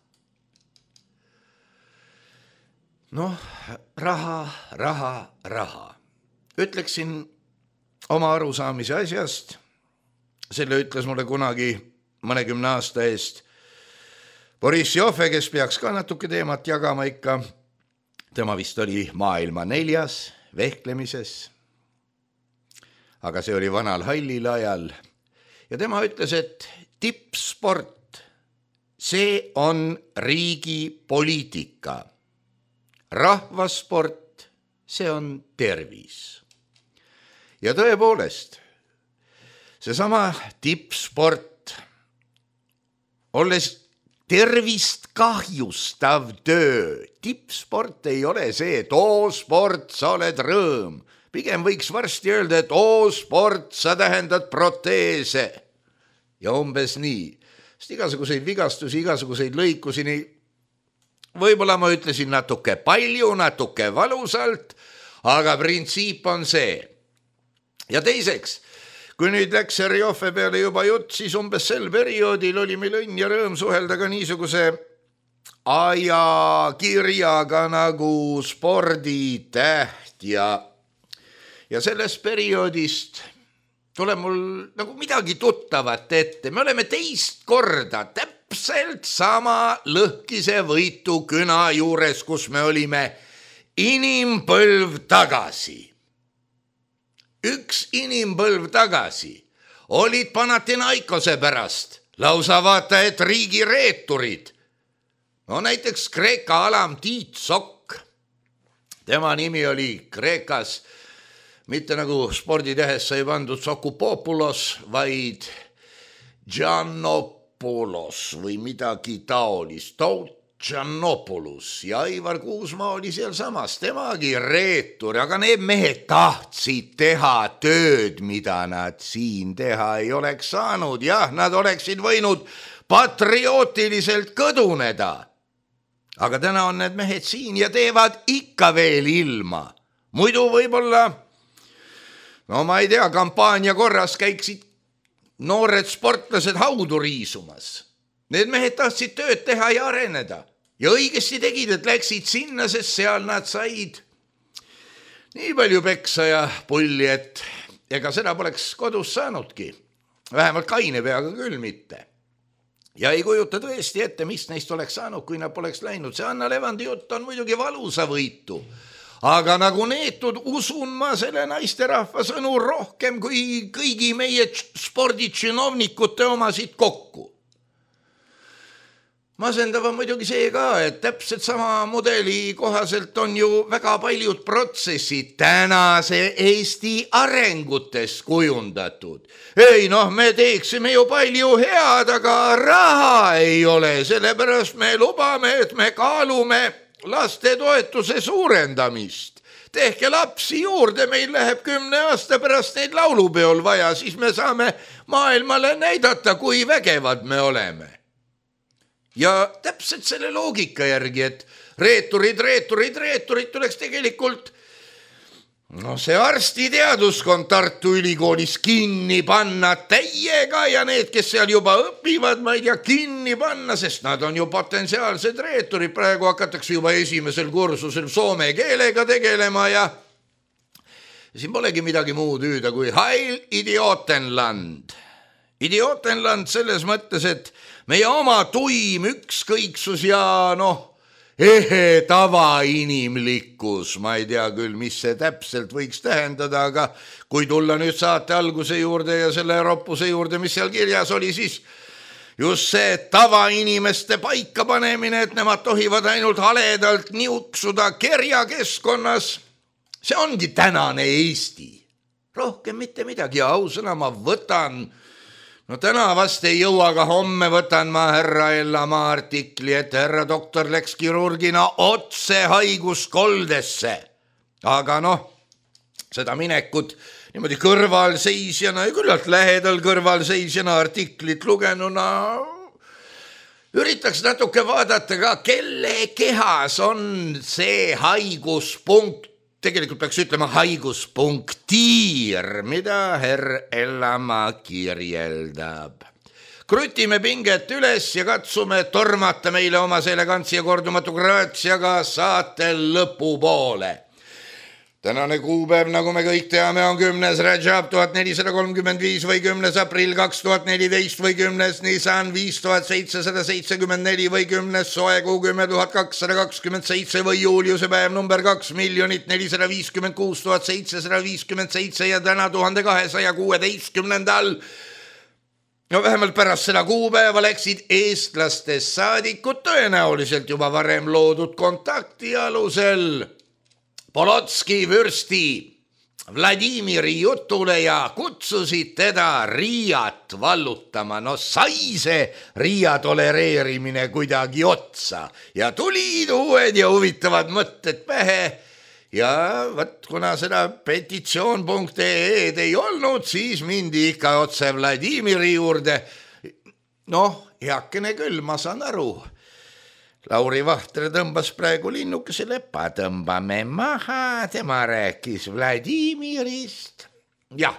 Noh, raha, raha, raha. Ütleksin oma arusaamise asjast. Selle ütles mulle kunagi mõnekümne aasta eest Boris Joffe, kes peaks ka natuke teemat jagama ikka. Tema vist oli maailma neljas vehklemises. Aga see oli vanal hallil ajal. Ja tema ütles, et tippsport, see on riigi poliitika. Rahvasport, see on tervis. Ja tõepoolest, seesama tippsport, olles tervist kahjustav töö. Tippsport ei ole see, et oo sport, sa oled rõõm. Pigem võiks varsti öelda, et oo sport, sa tähendad proteese. Ja umbes nii, sest igasuguseid vigastusi, igasuguseid lõikusi, nii võib-olla ma ütlesin natuke palju, natuke valusalt, aga printsiip on see. Ja teiseks, kui nüüd läks Joffe peale juba jutt, siis umbes sel perioodil oli meil õnn ja rõõm suhelda ka niisuguse ajakirjaga nagu Sporditäht ja, ja sellest perioodist tuleb mul nagu midagi tuttavat ette. Me oleme teist korda täpselt sama lõhkise võitu küna juures, kus me olime inimpõlv tagasi. Üks inimpõlv tagasi olid Panathinaikose pärast, lausa vaata, et riigi reeturid. No näiteks Kreeka alam Tiit Sokk. Tema nimi oli Kreekas mitte nagu sporditehes sai pandud Sokupopulos, vaid Giannopoulos või midagi taolist, Giannopoulos ja Aivar Kuusmaa oli seal samas, temagi reetur, aga need mehed tahtsid teha tööd, mida nad siin teha ei oleks saanud. Jah, nad oleksid võinud patriootiliselt kõduneda. Aga täna on need mehed siin ja teevad ikka veel ilma. Muidu võib-olla, no ma ei tea, kampaania korras käiksid noored sportlased haudu riisumas. Need mehed tahtsid tööd teha ja areneda. Ja õigesti tegid, et läksid sinna, sest seal nad said nii palju peksa ja pulli, et ega seda poleks kodus saanudki. Vähemalt kaine peaga küll mitte. Ja ei kujuta tõesti ette, mis neist oleks saanud, kui nad poleks läinud. See Anna Levandi jutt on muidugi valusa võitu. Aga nagu neetud usun ma selle naisterahva sõnu rohkem kui kõigi meie sporditšinovnikute omasid kokku. Masendav on muidugi see ka, et täpselt sama mudeli kohaselt on ju väga paljud protsessid tänase Eesti arengutes kujundatud. Ei noh, me teeksime ju palju head, aga raha ei ole, sellepärast me lubame, et me kaalume lastetoetuse suurendamist. Tehke lapsi juurde, meil läheb kümne aasta pärast neid laulupeol vaja, siis me saame maailmale näidata, kui vägevad me oleme. Ja täpselt selle loogika järgi, et reeturid, reeturid, reeturid tuleks tegelikult no see arstiteaduskond Tartu Ülikoolis kinni panna täiega ja need, kes seal juba õpivad, ma ei tea, kinni panna, sest nad on ju potentsiaalsed reeturid. Praegu hakatakse juba esimesel kursusel soome keelega tegelema ja siin polegi midagi muud hüüda kui Heil Idiotenland. Idiotenland selles mõttes, et meie oma tuim ükskõiksus ja noh, ehe tavainimlikkus, ma ei tea küll, mis see täpselt võiks tähendada, aga kui tulla nüüd saate alguse juurde ja selle roppuse juurde, mis seal kirjas oli, siis just see tavainimeste paika panemine, et nemad tohivad ainult haledalt niuksuda kerjakeskkonnas, see ongi tänane Eesti. Rohkem mitte midagi ja ausõna ma võtan no täna vast ei jõua, aga homme võtan ma härra Ellamaa artikli, et härra doktor läks kirurgina otse haiguskoldesse. Aga noh, seda minekut niimoodi kõrvalseisjana ja küllalt lähedal kõrvalseisjana artiklit lugenuna üritaks natuke vaadata ka, kelle kehas on see haiguspunkt. Tegelikult peaks ütlema haiguspunktiir, mida herr Ellamaa kirjeldab. Krutime pinget üles ja katsume tormata meile oma elegantsi ja kordumatu graatsiaga saate lõpu poole. Tänane kuupäev, nagu me kõik teame, on kümnes Rajab tuhat nelisada kolmkümmend viis või kümnes aprill kaks tuhat neliteist või kümnes Nisan viis tuhat seitsesada seitsekümmend neli või kümnes soekuu kümme tuhat kakssada kakskümmend seitse või juuliuse päev number kaks miljonit nelisada viiskümmend kuus tuhat seitsesada viiskümmend seitse ja täna tuhande kahesaja kuueteistkümnendal. No vähemalt pärast seda kuupäeva läksid eestlastest saadikud tõenäoliselt juba varem loodud kontakti alusel Polotski vürsti Vladimiri jutule ja kutsusid teda Riiat vallutama. No sai see Riia tolereerimine kuidagi otsa ja tulid uued ja huvitavad mõtted pähe. Ja võt, kuna seda petitsioon punkt ee ei olnud, siis mindi ikka otse Vladimiri juurde. Noh, heakene küll, ma saan aru. Lauri Vahtre tõmbas praegu linnukese lepa, tõmbame maha, tema rääkis Vladimirist. Jah,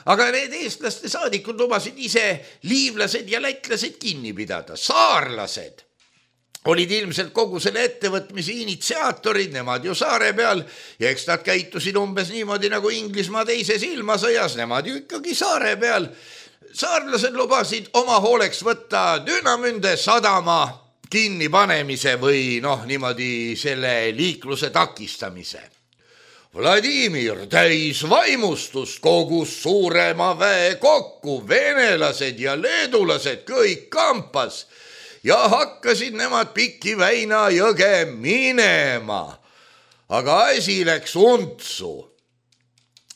aga need eestlaste saadikud lubasid ise liivlased ja lätlased kinni pidada. Saarlased olid ilmselt kogu selle ettevõtmise initsiaatorid, nemad ju saare peal ja eks nad käitusid umbes niimoodi nagu Inglismaa teises ilmasõjas, nemad ju ikkagi saare peal. Saarlased lubasid oma hooleks võtta Dünamünde sadama kinni panemise või noh, niimoodi selle liikluse takistamise. Vladimir täis vaimustust kogus suurema väe kokku, venelased ja leedulased kõik kampas ja hakkasid nemad Piki Väina jõge minema. Aga asi läks untsu.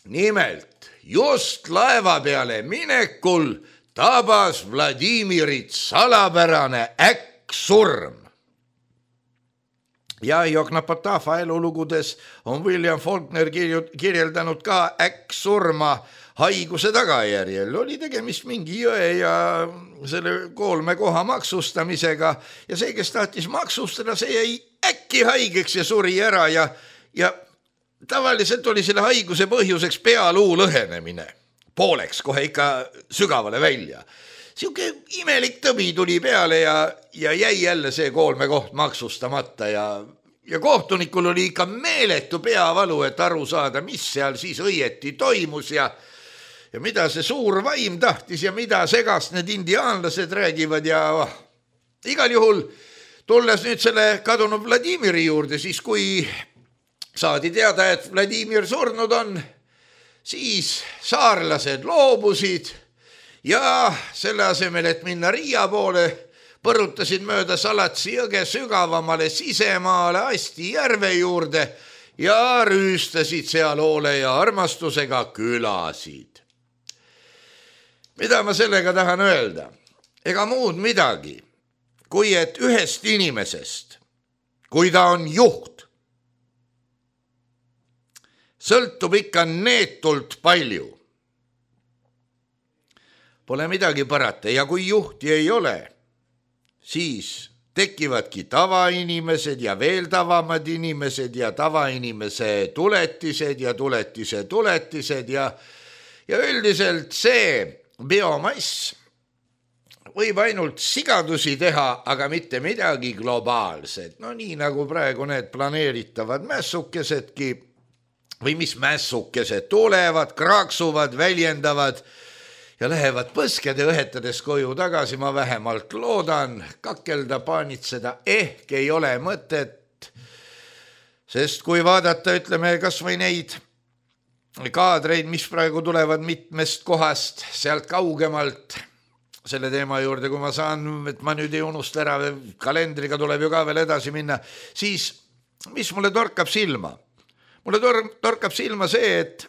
nimelt just laeva peale minekul tabas Vladimirit salapärane äkksurm. Ja Jokna Potafa elulugudes on William Faulkner kirjeldanud ka äkksurma haiguse tagajärjel. Oli tegemist mingi jõe ja selle kolme koha maksustamisega ja see, kes tahtis maksustada, see jäi äkki haigeks ja suri ära ja, ja tavaliselt oli selle haiguse põhjuseks pealuu lõhenemine. Pooleks kohe ikka sügavale välja. Siuke imelik tõbi tuli peale ja, ja jäi jälle see kolme koht maksustamata ja, ja kohtunikul oli ikka meeletu peavalu, et aru saada, mis seal siis õieti toimus ja, ja mida see suur vaim tahtis ja mida segast need indiaanlased räägivad ja oh. Igal juhul tulles nüüd selle kadunud Vladimiri juurde, siis kui saadi teada, et Vladimir surnud on, siis saarlased loobusid ja selle asemel, et minna Riia poole, põrutasid mööda Salatsi jõge sügavamale sisemaale Asti järve juurde ja rüüstasid seal hoole ja armastusega külasid. Mida ma sellega tahan öelda? Ega muud midagi, kui et ühest inimesest, kui ta on juht, sõltub ikka neetult palju. Pole midagi parata ja kui juhti ei ole, siis tekivadki tavainimesed ja veel tavamad inimesed ja tavainimese tuletised ja tuletise tuletised ja, ja üldiselt see biomass võib ainult sigadusi teha, aga mitte midagi globaalset. No nii nagu praegu need planeeritavad mässukesedki või mis mässukesed tulevad, kraaksuvad, väljendavad ja lähevad põskede õhetades koju tagasi, ma vähemalt loodan, kakelda, paanitseda ehk ei ole mõtet, sest kui vaadata, ütleme, kas või neid kaadreid, mis praegu tulevad mitmest kohast, sealt kaugemalt selle teema juurde, kui ma saan, et ma nüüd ei unusta ära, kalendriga tuleb ju ka veel edasi minna, siis mis mulle torkab silma? Mulle tor- torkab silma see, et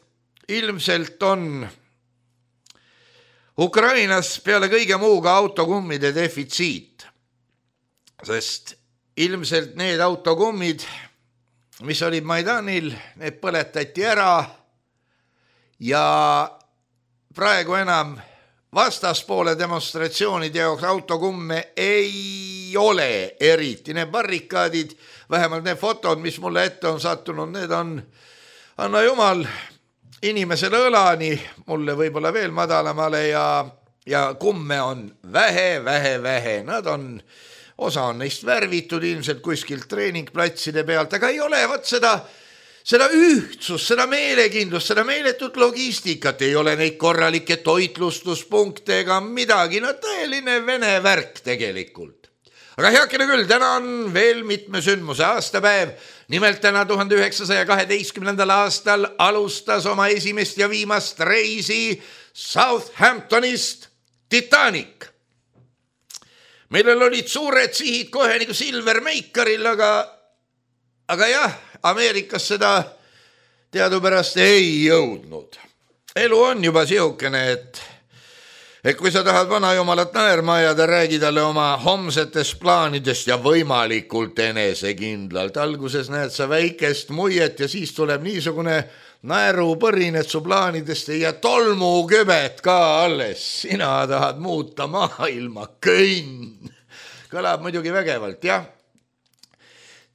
ilmselt on Ukrainas peale kõige muuga autokummide defitsiit, sest ilmselt need autokummid, mis olid Maidanil, need põletati ära ja praegu enam vastaspoole demonstratsioonide jaoks autokumme ei ole eriti. Need barrikaadid, vähemalt need fotod, mis mulle ette on sattunud, need on, anna jumal, inimesele õlani, mulle võib-olla veel madalamale ja, ja kumme on vähe, vähe, vähe. Nad on, osa on neist värvitud ilmselt kuskilt treeningplatside pealt, aga ei ole võt seda, seda ühtsust, seda meelekindlust, seda meeletut logistikat, ei ole neid korralikke toitlustuspunkte ega midagi, no tõeline vene värk tegelikult. Aga heakene küll, täna on veel mitme sündmuse aastapäev. Nimelt täna tuhande üheksasaja kaheteistkümnendal aastal alustas oma esimest ja viimast reisi Southamptonist Titanic, millel olid suured sihid kohe nagu Silver Makeril, aga, aga jah, Ameerikas seda teadupärast ei jõudnud. Elu on juba siukene, et et kui sa tahad vanajumalat naerma ajada, räägi talle oma homsetest plaanidest ja võimalikult enesekindlalt. Alguses näed sa väikest muiet ja siis tuleb niisugune naerupõrin, et su plaanidest ei jää tolmukübet ka alles. Sina tahad muuta maailma, kõnn. Kõlab muidugi vägevalt, jah.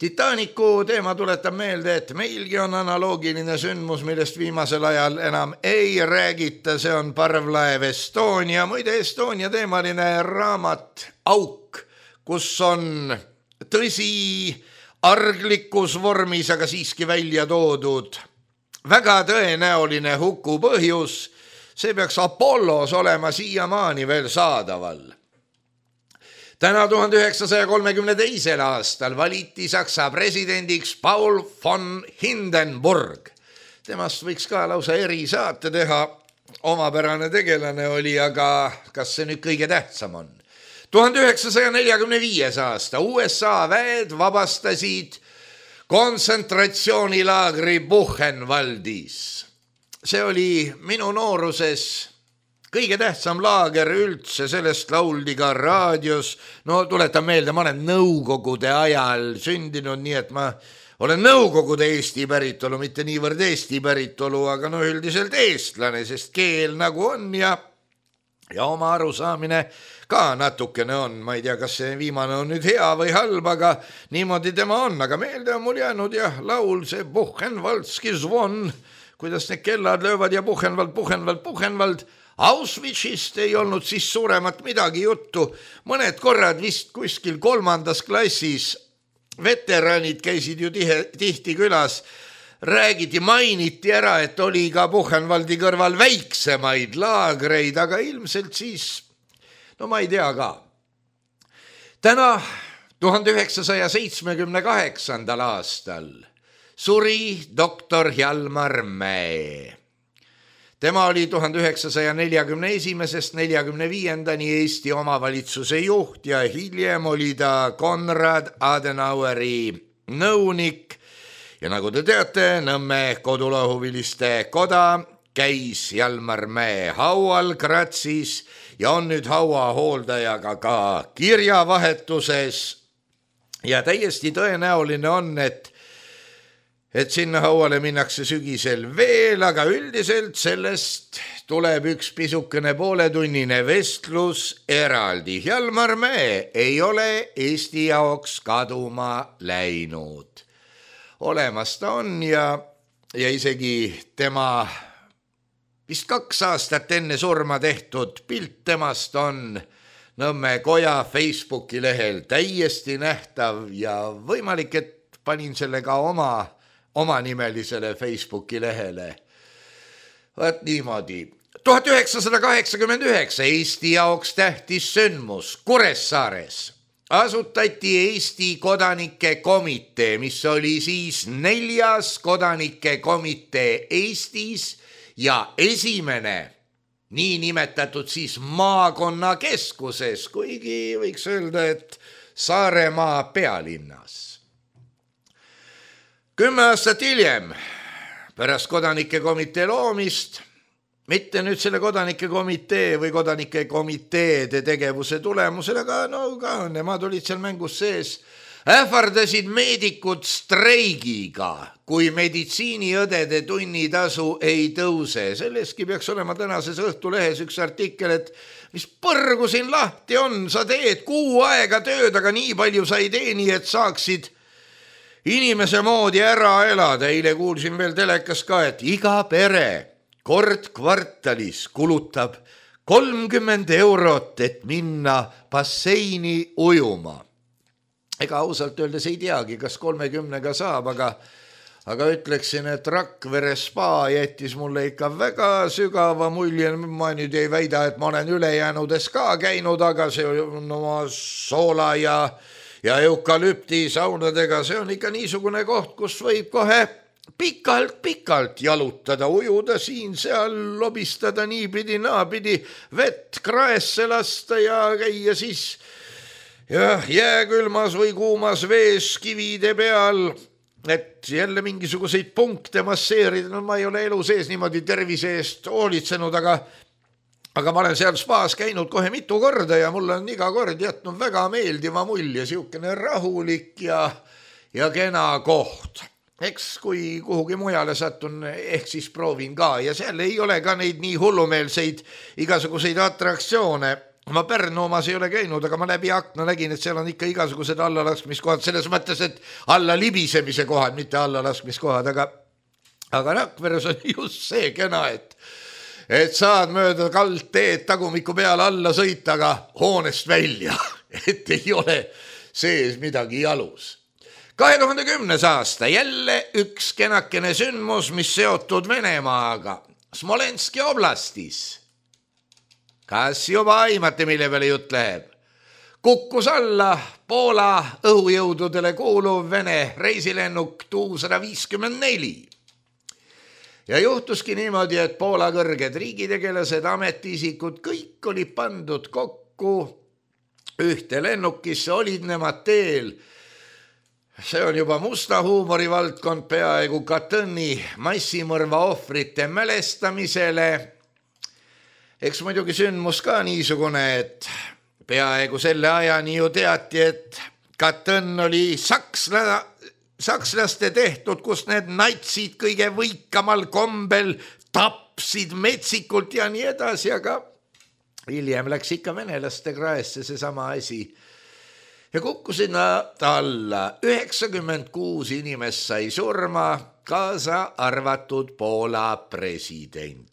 Titanicu teema tuletab meelde, et meilgi on analoogiline sündmus, millest viimasel ajal enam ei räägita, see on parvlaev Estonia. Muide, Estonia teemaline raamat Auk, kus on tõsi arglikus vormis, aga siiski välja toodud väga tõenäoline huku põhjus, see peaks Apollos olema siiamaani veel saadaval. Täna tuhande üheksasaja kolmekümne teisel aastal valiti Saksa presidendiks Paul von Hindenburg. Temast võiks ka lausa erisaate teha, omapärane tegelane oli, aga kas see nüüd kõige tähtsam on? tuhande üheksasaja neljakümne viies aasta U S A väed vabastasid kontsentratsioonilaagri Buchenwaldis. see oli minu nooruses kõige tähtsam laager üldse, sellest lauldi ka raadios. No tuletan meelde, ma olen nõukogude ajal sündinud, nii et ma olen nõukogude Eesti päritolu, mitte niivõrd Eesti päritolu, aga no üldiselt eestlane, sest keel nagu on ja, ja oma arusaamine ka natukene on. Ma ei tea, kas see viimane on nüüd hea või halb, aga niimoodi tema on. Aga meelde on mul jäänud jah, laul see Buchenwaldski zvon, kuidas need kellad löövad ja Buchenwald, Buchenwald, Buchenwald. Auschwitzist ei olnud siis suuremat midagi juttu. Mõned korrad vist kuskil kolmandas klassis veteranid käisid ju tihe, tihti külas. Räägiti, mainiti ära, et oli ka Buchenwaldi kõrval väiksemaid laagreid, aga ilmselt siis, no ma ei tea ka. Täna tuhande üheksasaja seitsmekümne kaheksandal aastal suri doktor Hjalmar Mäe. Tema oli tuhande üheksasaja neljakümne esimesest neljakümne viiendani Eesti omavalitsuse juht ja hiljem oli ta Konrad Adenaueri nõunik. Ja nagu te teate, Nõmme kodulahuviliste koda käis Hjalmar Mäe haual Grazis ja on nüüd haua hooldajaga ka kirjavahetuses. Ja täiesti tõenäoline on, et et sinna hauale minnakse sügisel veel, aga üldiselt sellest tuleb üks pisukene pooletunnine vestlus eraldi. Hjalmar Mäe ei ole Eesti jaoks kaduma läinud. Olemas ta on ja, ja isegi tema vist kaks aastat enne surma tehtud pilt temast on Nõmme koja Facebooki lehel täiesti nähtav ja võimalik, et panin selle ka oma omanimelisele Facebooki lehele. Võt niimoodi. tuhat üheksasada kaheksakümmend üheksa Eesti jaoks tähtis sündmus Kuressaares. Asutati Eesti kodanike komitee, mis oli siis neljas kodanike komitee Eestis ja esimene nii nimetatud siis maakonnakeskuses, kuigi võiks öelda, et Saaremaa pealinnas. Kümme aastat hiljem, pärast kodanike komitee loomist, mitte nüüd selle kodanike komitee või kodanike komiteede tegevuse tulemusel, aga no ka nemad olid seal mängus sees, ähvardasid meedikud streigiga, kui meditsiiniõdede tunnitasu ei tõuse. Selleski peaks olema tänases Õhtulehes üks artikkel, et mis põrgu siin lahti on, sa teed kuu aega tööd, aga nii palju sa ei teeni, et saaksid inimese moodi ära elada. Eile kuulsin veel telekas ka, et iga pere kord kvartalis kulutab kolmkümmend eurot, et minna basseini ujuma. Ega ausalt öeldes ei teagi, kas kolmekümnega saab, aga, aga ütleksin, et Rakvere spa jättis mulle ikka väga sügava mulje. Ma nüüd ei väida, et ma olen ülejäänudes ka käinud, aga see on oma soola ja ja eukalüpti saunadega, see on ikka niisugune koht, kus võib kohe pikalt-pikalt jalutada, ujuda siin-seal, lobistada niipidi, naapidi, vett kraesse lasta ja käia siis ja jääkülmas või kuumas vees kivide peal, et jälle mingisuguseid punkte masseerida. No ma ei ole elu sees niimoodi tervise eest hoolitsenud, aga Aga ma olen seal spaas käinud kohe mitu korda ja mul on iga kord jätnud väga meeldiva mulje, siukene rahulik ja, ja kena koht. Eks kui kuhugi mujale satun, ehk siis proovin ka ja seal ei ole ka neid nii hullumeelseid igasuguseid atraktsioone. Ma Pärnu omas ei ole käinud, aga ma läbi akna nägin, et seal on ikka igasugused allalaskmiskohad, selles mõttes, et alla libisemise kohad, mitte allalaskmiskohad, aga, aga Rakveres on just see kena, et et saad mööda kaldteed tagumiku peale alla sõita, aga hoonest välja, et ei ole sees midagi jalus. kahe tuhande kümnes aasta jälle üks kenakene sündmus, mis seotud Venemaaga Smolenski oblastis. Kas juba aimate, mille peale jutt läheb? Kukkus alla Poola õhujõududele kuuluv Vene reisilennuk Tu sada viiskümmend neli. Ja juhtuski niimoodi, et Poola kõrged riigitegelased, ametiisikud, kõik oli pandud kokku ühte lennukisse, olid nemad teel see on juba musta huumori valdkond peaaegu Katõni massimõrva ohvrite mälestamisele. Eks muidugi sündmus ka niisugune, et peaaegu selle ajani ju teati, et Katõn oli saksla, sakslaste tehtud, kus need natsid kõige võikamal kombel tapsid metsikult ja nii edasi, aga hiljem läks ikka venelaste kraesse see sama asi. Ja kukkusid nad alla. üheksakümmend kuus inimest sai surma, kaasa arvatud Poola president.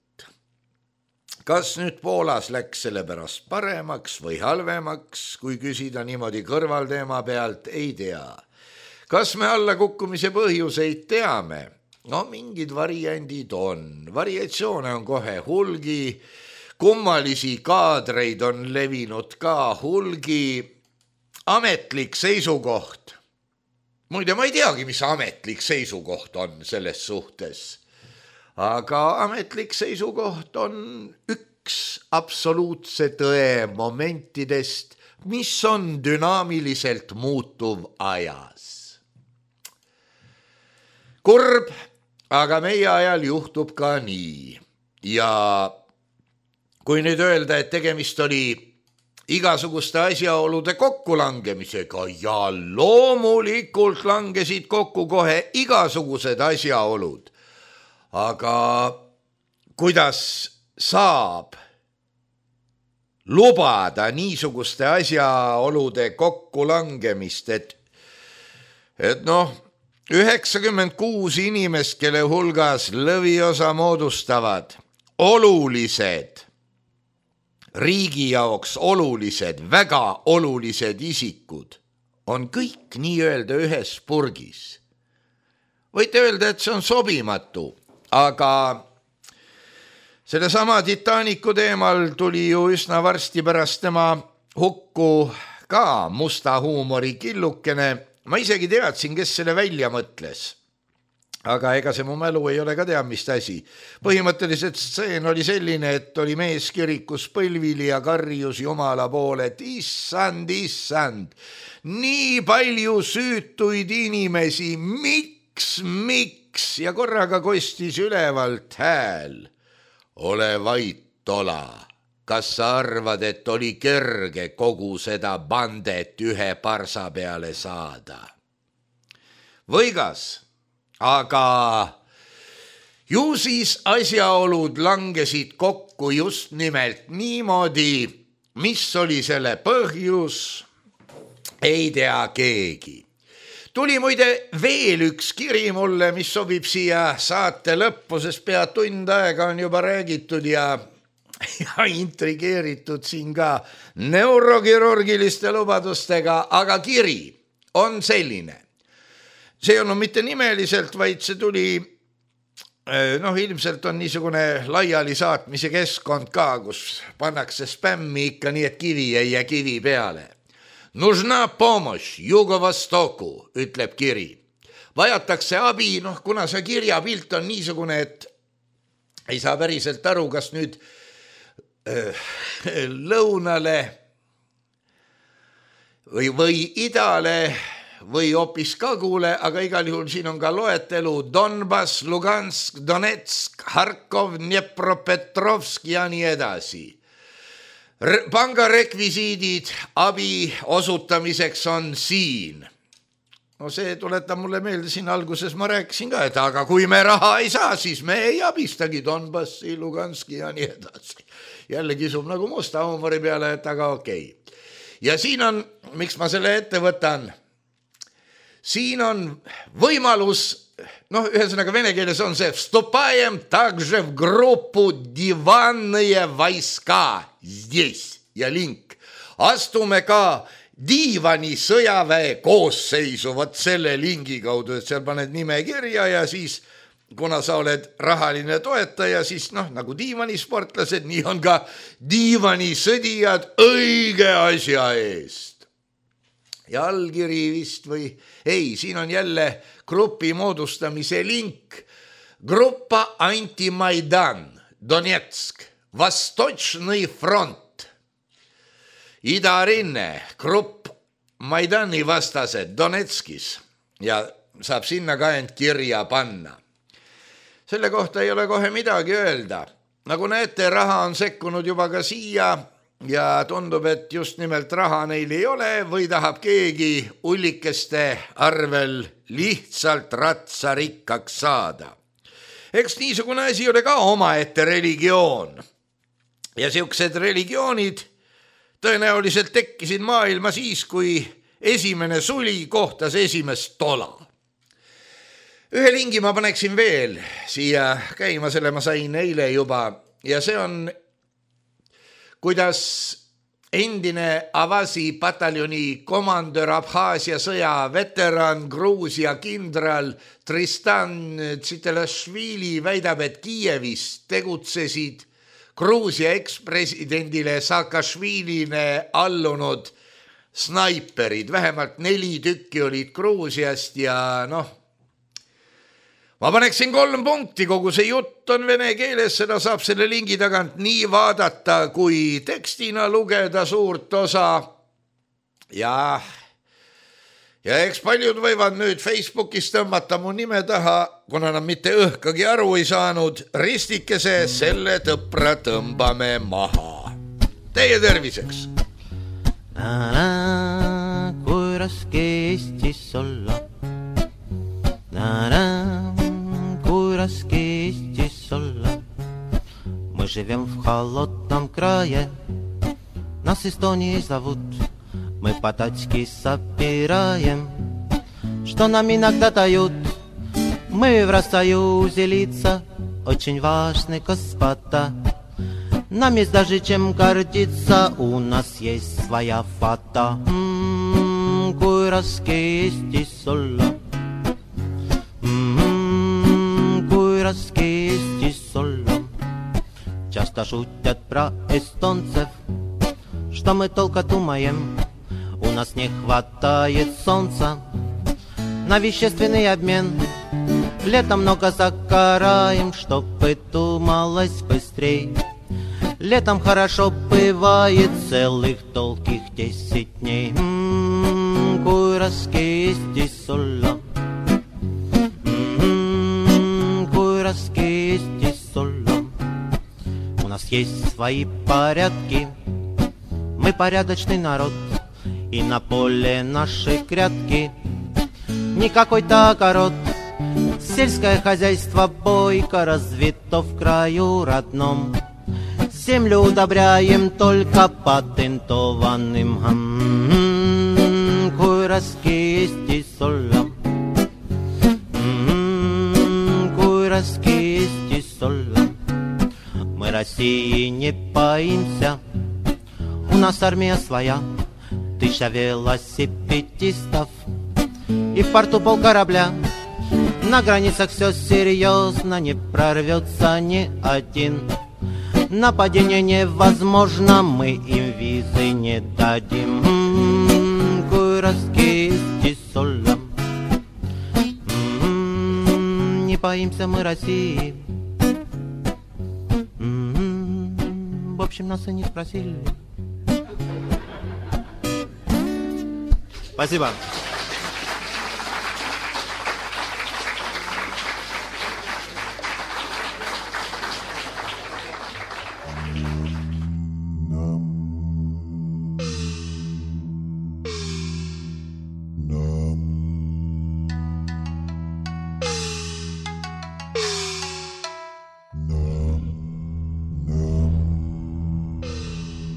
Kas nüüd Poolas läks selle pärast paremaks või halvemaks, kui küsida niimoodi kõrvalteema pealt, ei tea. Kas me alla kukkumise põhjuseid teame? No mingid variandid on. Variatsioone on kohe hulgi, kummalisi kaadreid on levinud ka hulgi. Ametlik seisukoht. Muide, ma ei teagi, mis ametlik seisukoht on selles suhtes. Aga ametlik seisukoht on üks absoluutse tõe momentidest, mis on dünaamiliselt muutuv ajas. Kurb, aga meie ajal juhtub ka nii. Ja kui nüüd öelda, et tegemist oli igasuguste asjaolude kokkulangemisega ja loomulikult langesid kokku kohe igasugused asjaolud. Aga kuidas saab lubada niisuguste asjaolude kokkulangemist, et, et noh, üheksakümmend kuus inimest, kelle hulgas lõviosa moodustavad olulised riigi jaoks olulised, väga olulised isikud on kõik nii-öelda ühes purgis. Võite öelda, et see on sobimatu, aga selle sama Titanicu teemal tuli ju üsna varsti pärast tema hukku ka musta huumori killukene. Ma isegi teadsin, kes selle välja mõtles. Aga ega see mu mälu ei ole ka tea, mis asi. Põhimõtteliselt stseen oli selline, et oli mees kirikus põlvili ja karjus Jumala poole, et issand, issand, nii palju süütuid inimesi, miks, miks? Ja korraga kostis ülevalt hääl. Ole vait, Tola, kas sa arvad, et oli kerge kogu seda bandet ühe parsa peale saada? Võigas. Aga ju siis asjaolud langesid kokku just nimelt niimoodi, mis oli selle põhjus, ei tea keegi. Tuli muide veel üks kiri mulle, mis sobib siia saate lõppu, sest pea tund aega on juba räägitud ja, ja intrigeeritud siin ka neurokirurgiliste lubadustega, aga kiri on selline. See on mitte nimeliselt, vaid see tuli, noh ilmselt on niisugune laiali saatmise keskkond ka, kus pannakse spämmi ikka nii, et kivi ei jää kivi peale. Нужна помощь Jugo-Vostoku, ütleb kiri. Vajatakse abi, noh kuna see kirjapilt on niisugune, et ei saa päriselt aru, kas nüüd äh, lõunale või, või idale või hoopis kagule, aga igal juhul siin on ka loetelu Donbass, Lugansk, Donetsk, Harkov, Dnepropetrovsk ja nii edasi. Pangarekvisiidid abi osutamiseks on siin. No see tuletab mulle meelde, siin alguses ma rääkisin ka, et aga kui me raha ei saa, siis me ei abistagi Donbassi, Luganski ja nii edasi. Jälle kisub nagu musta huumori peale, et aga okei. Ja siin on, miks ma selle ette võtan, siin on võimalus, noh ühesõnaga vene keeles on see vstupajem также в группу диванные войска здесь ja link. Astume ka diivani sõjaväe koosseisu vot selle lingi kaudu, et seal paned nime kirja ja siis kuna sa oled rahaline toetaja, siis noh nagu diivanisportlased, nii on ka diivanisõdijad õige asja eest. Ja allkiri vist või ei, siin on jälle grupi moodustamise link. Gruppa Anti-Maidan, Donetsk, Vostočnõi front. Idarinne, grupp Maidani vastased Donetskis. ja saab sinna ka end kirja panna. Selle kohta ei ole kohe midagi öelda. Nagu näete, raha on sekkunud juba ka siia ja tundub, et just nimelt raha neil ei ole või tahab keegi ullikeste arvel lihtsalt ratsa rikkaks saada. Eks niisugune asi ole ka omaette religioon. Ja siuksed religioonid tõenäoliselt tekkisid maailma siis, kui esimene suli kohtas esimest tola. Ühe lingi ma paneksin veel siia käima, selle ma sain eile juba ja see on, kuidas endine Avasi pataljoni komandör, Abhaasia sõja veteran, Gruusia kindral Tristan Tsitelašvili väidab, et Kiievis tegutsesid Gruusia ekspresidendile Saakašvilile allunud snaiperid, vähemalt neli tükki olid Gruusiast ja noh, ma paneksin kolm punkti, kogu see jutt on vene keeles, seda saab selle lingi tagant nii vaadata, kui tekstina lugeda suurt osa. Ja, ja eks paljud võivad nüüd Facebookis tõmmata mu nime taha, kuna nad mitte õhkagi aru ei saanud, ristikese, selle tõpra tõmbame maha. Teie terviseks! Na-na, kui raske Eestis olla. На-на, kui raske Eestis olla. Мы живем в холодном крае, нас Эстонией зовут. Мы по-тачки собираем, что нам иногда дают. Мы в Россоюзе лица, очень важны господа. Нам есть даже чем гордиться, у нас есть своя фата. М-м, kui raske Eestis olla. Kui raske Eestis olla. Часто шутят про эстонцев, что мы только думаем, у нас не хватает солнца на вещественный обмен. Летом много загораем, чтобы думалось быстрей. Летом хорошо бывает целых долгих десять дней. М-м, kui raske Eestis olla. Eestis olla. У нас есть свои порядки, мы порядочный народ, и на поле нашей грядки не какой-то огород. Сельское хозяйство бойко развито в краю родном. Землю удобряем только патентованным. М-м-м, kui raske Eestis olla. Raske Eestis olla. Мы России не боимся, у нас армия своя, тысяча велосипедистов и в порту пол корабля. На границах все серьезно, не прорвется ни один. Нападение невозможно, мы им визы не дадим. М-м-м, kui raske Eestis olla. Не боимся мы России. М-м-м, в общем, нас и не спросили. Спасибо.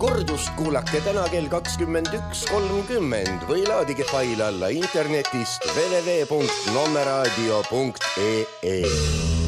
Kordust kuulake täna kell kakskümmend üks kolmkümmend või laadige fail alla internetist w w w punkt nommeraadio punkt e e.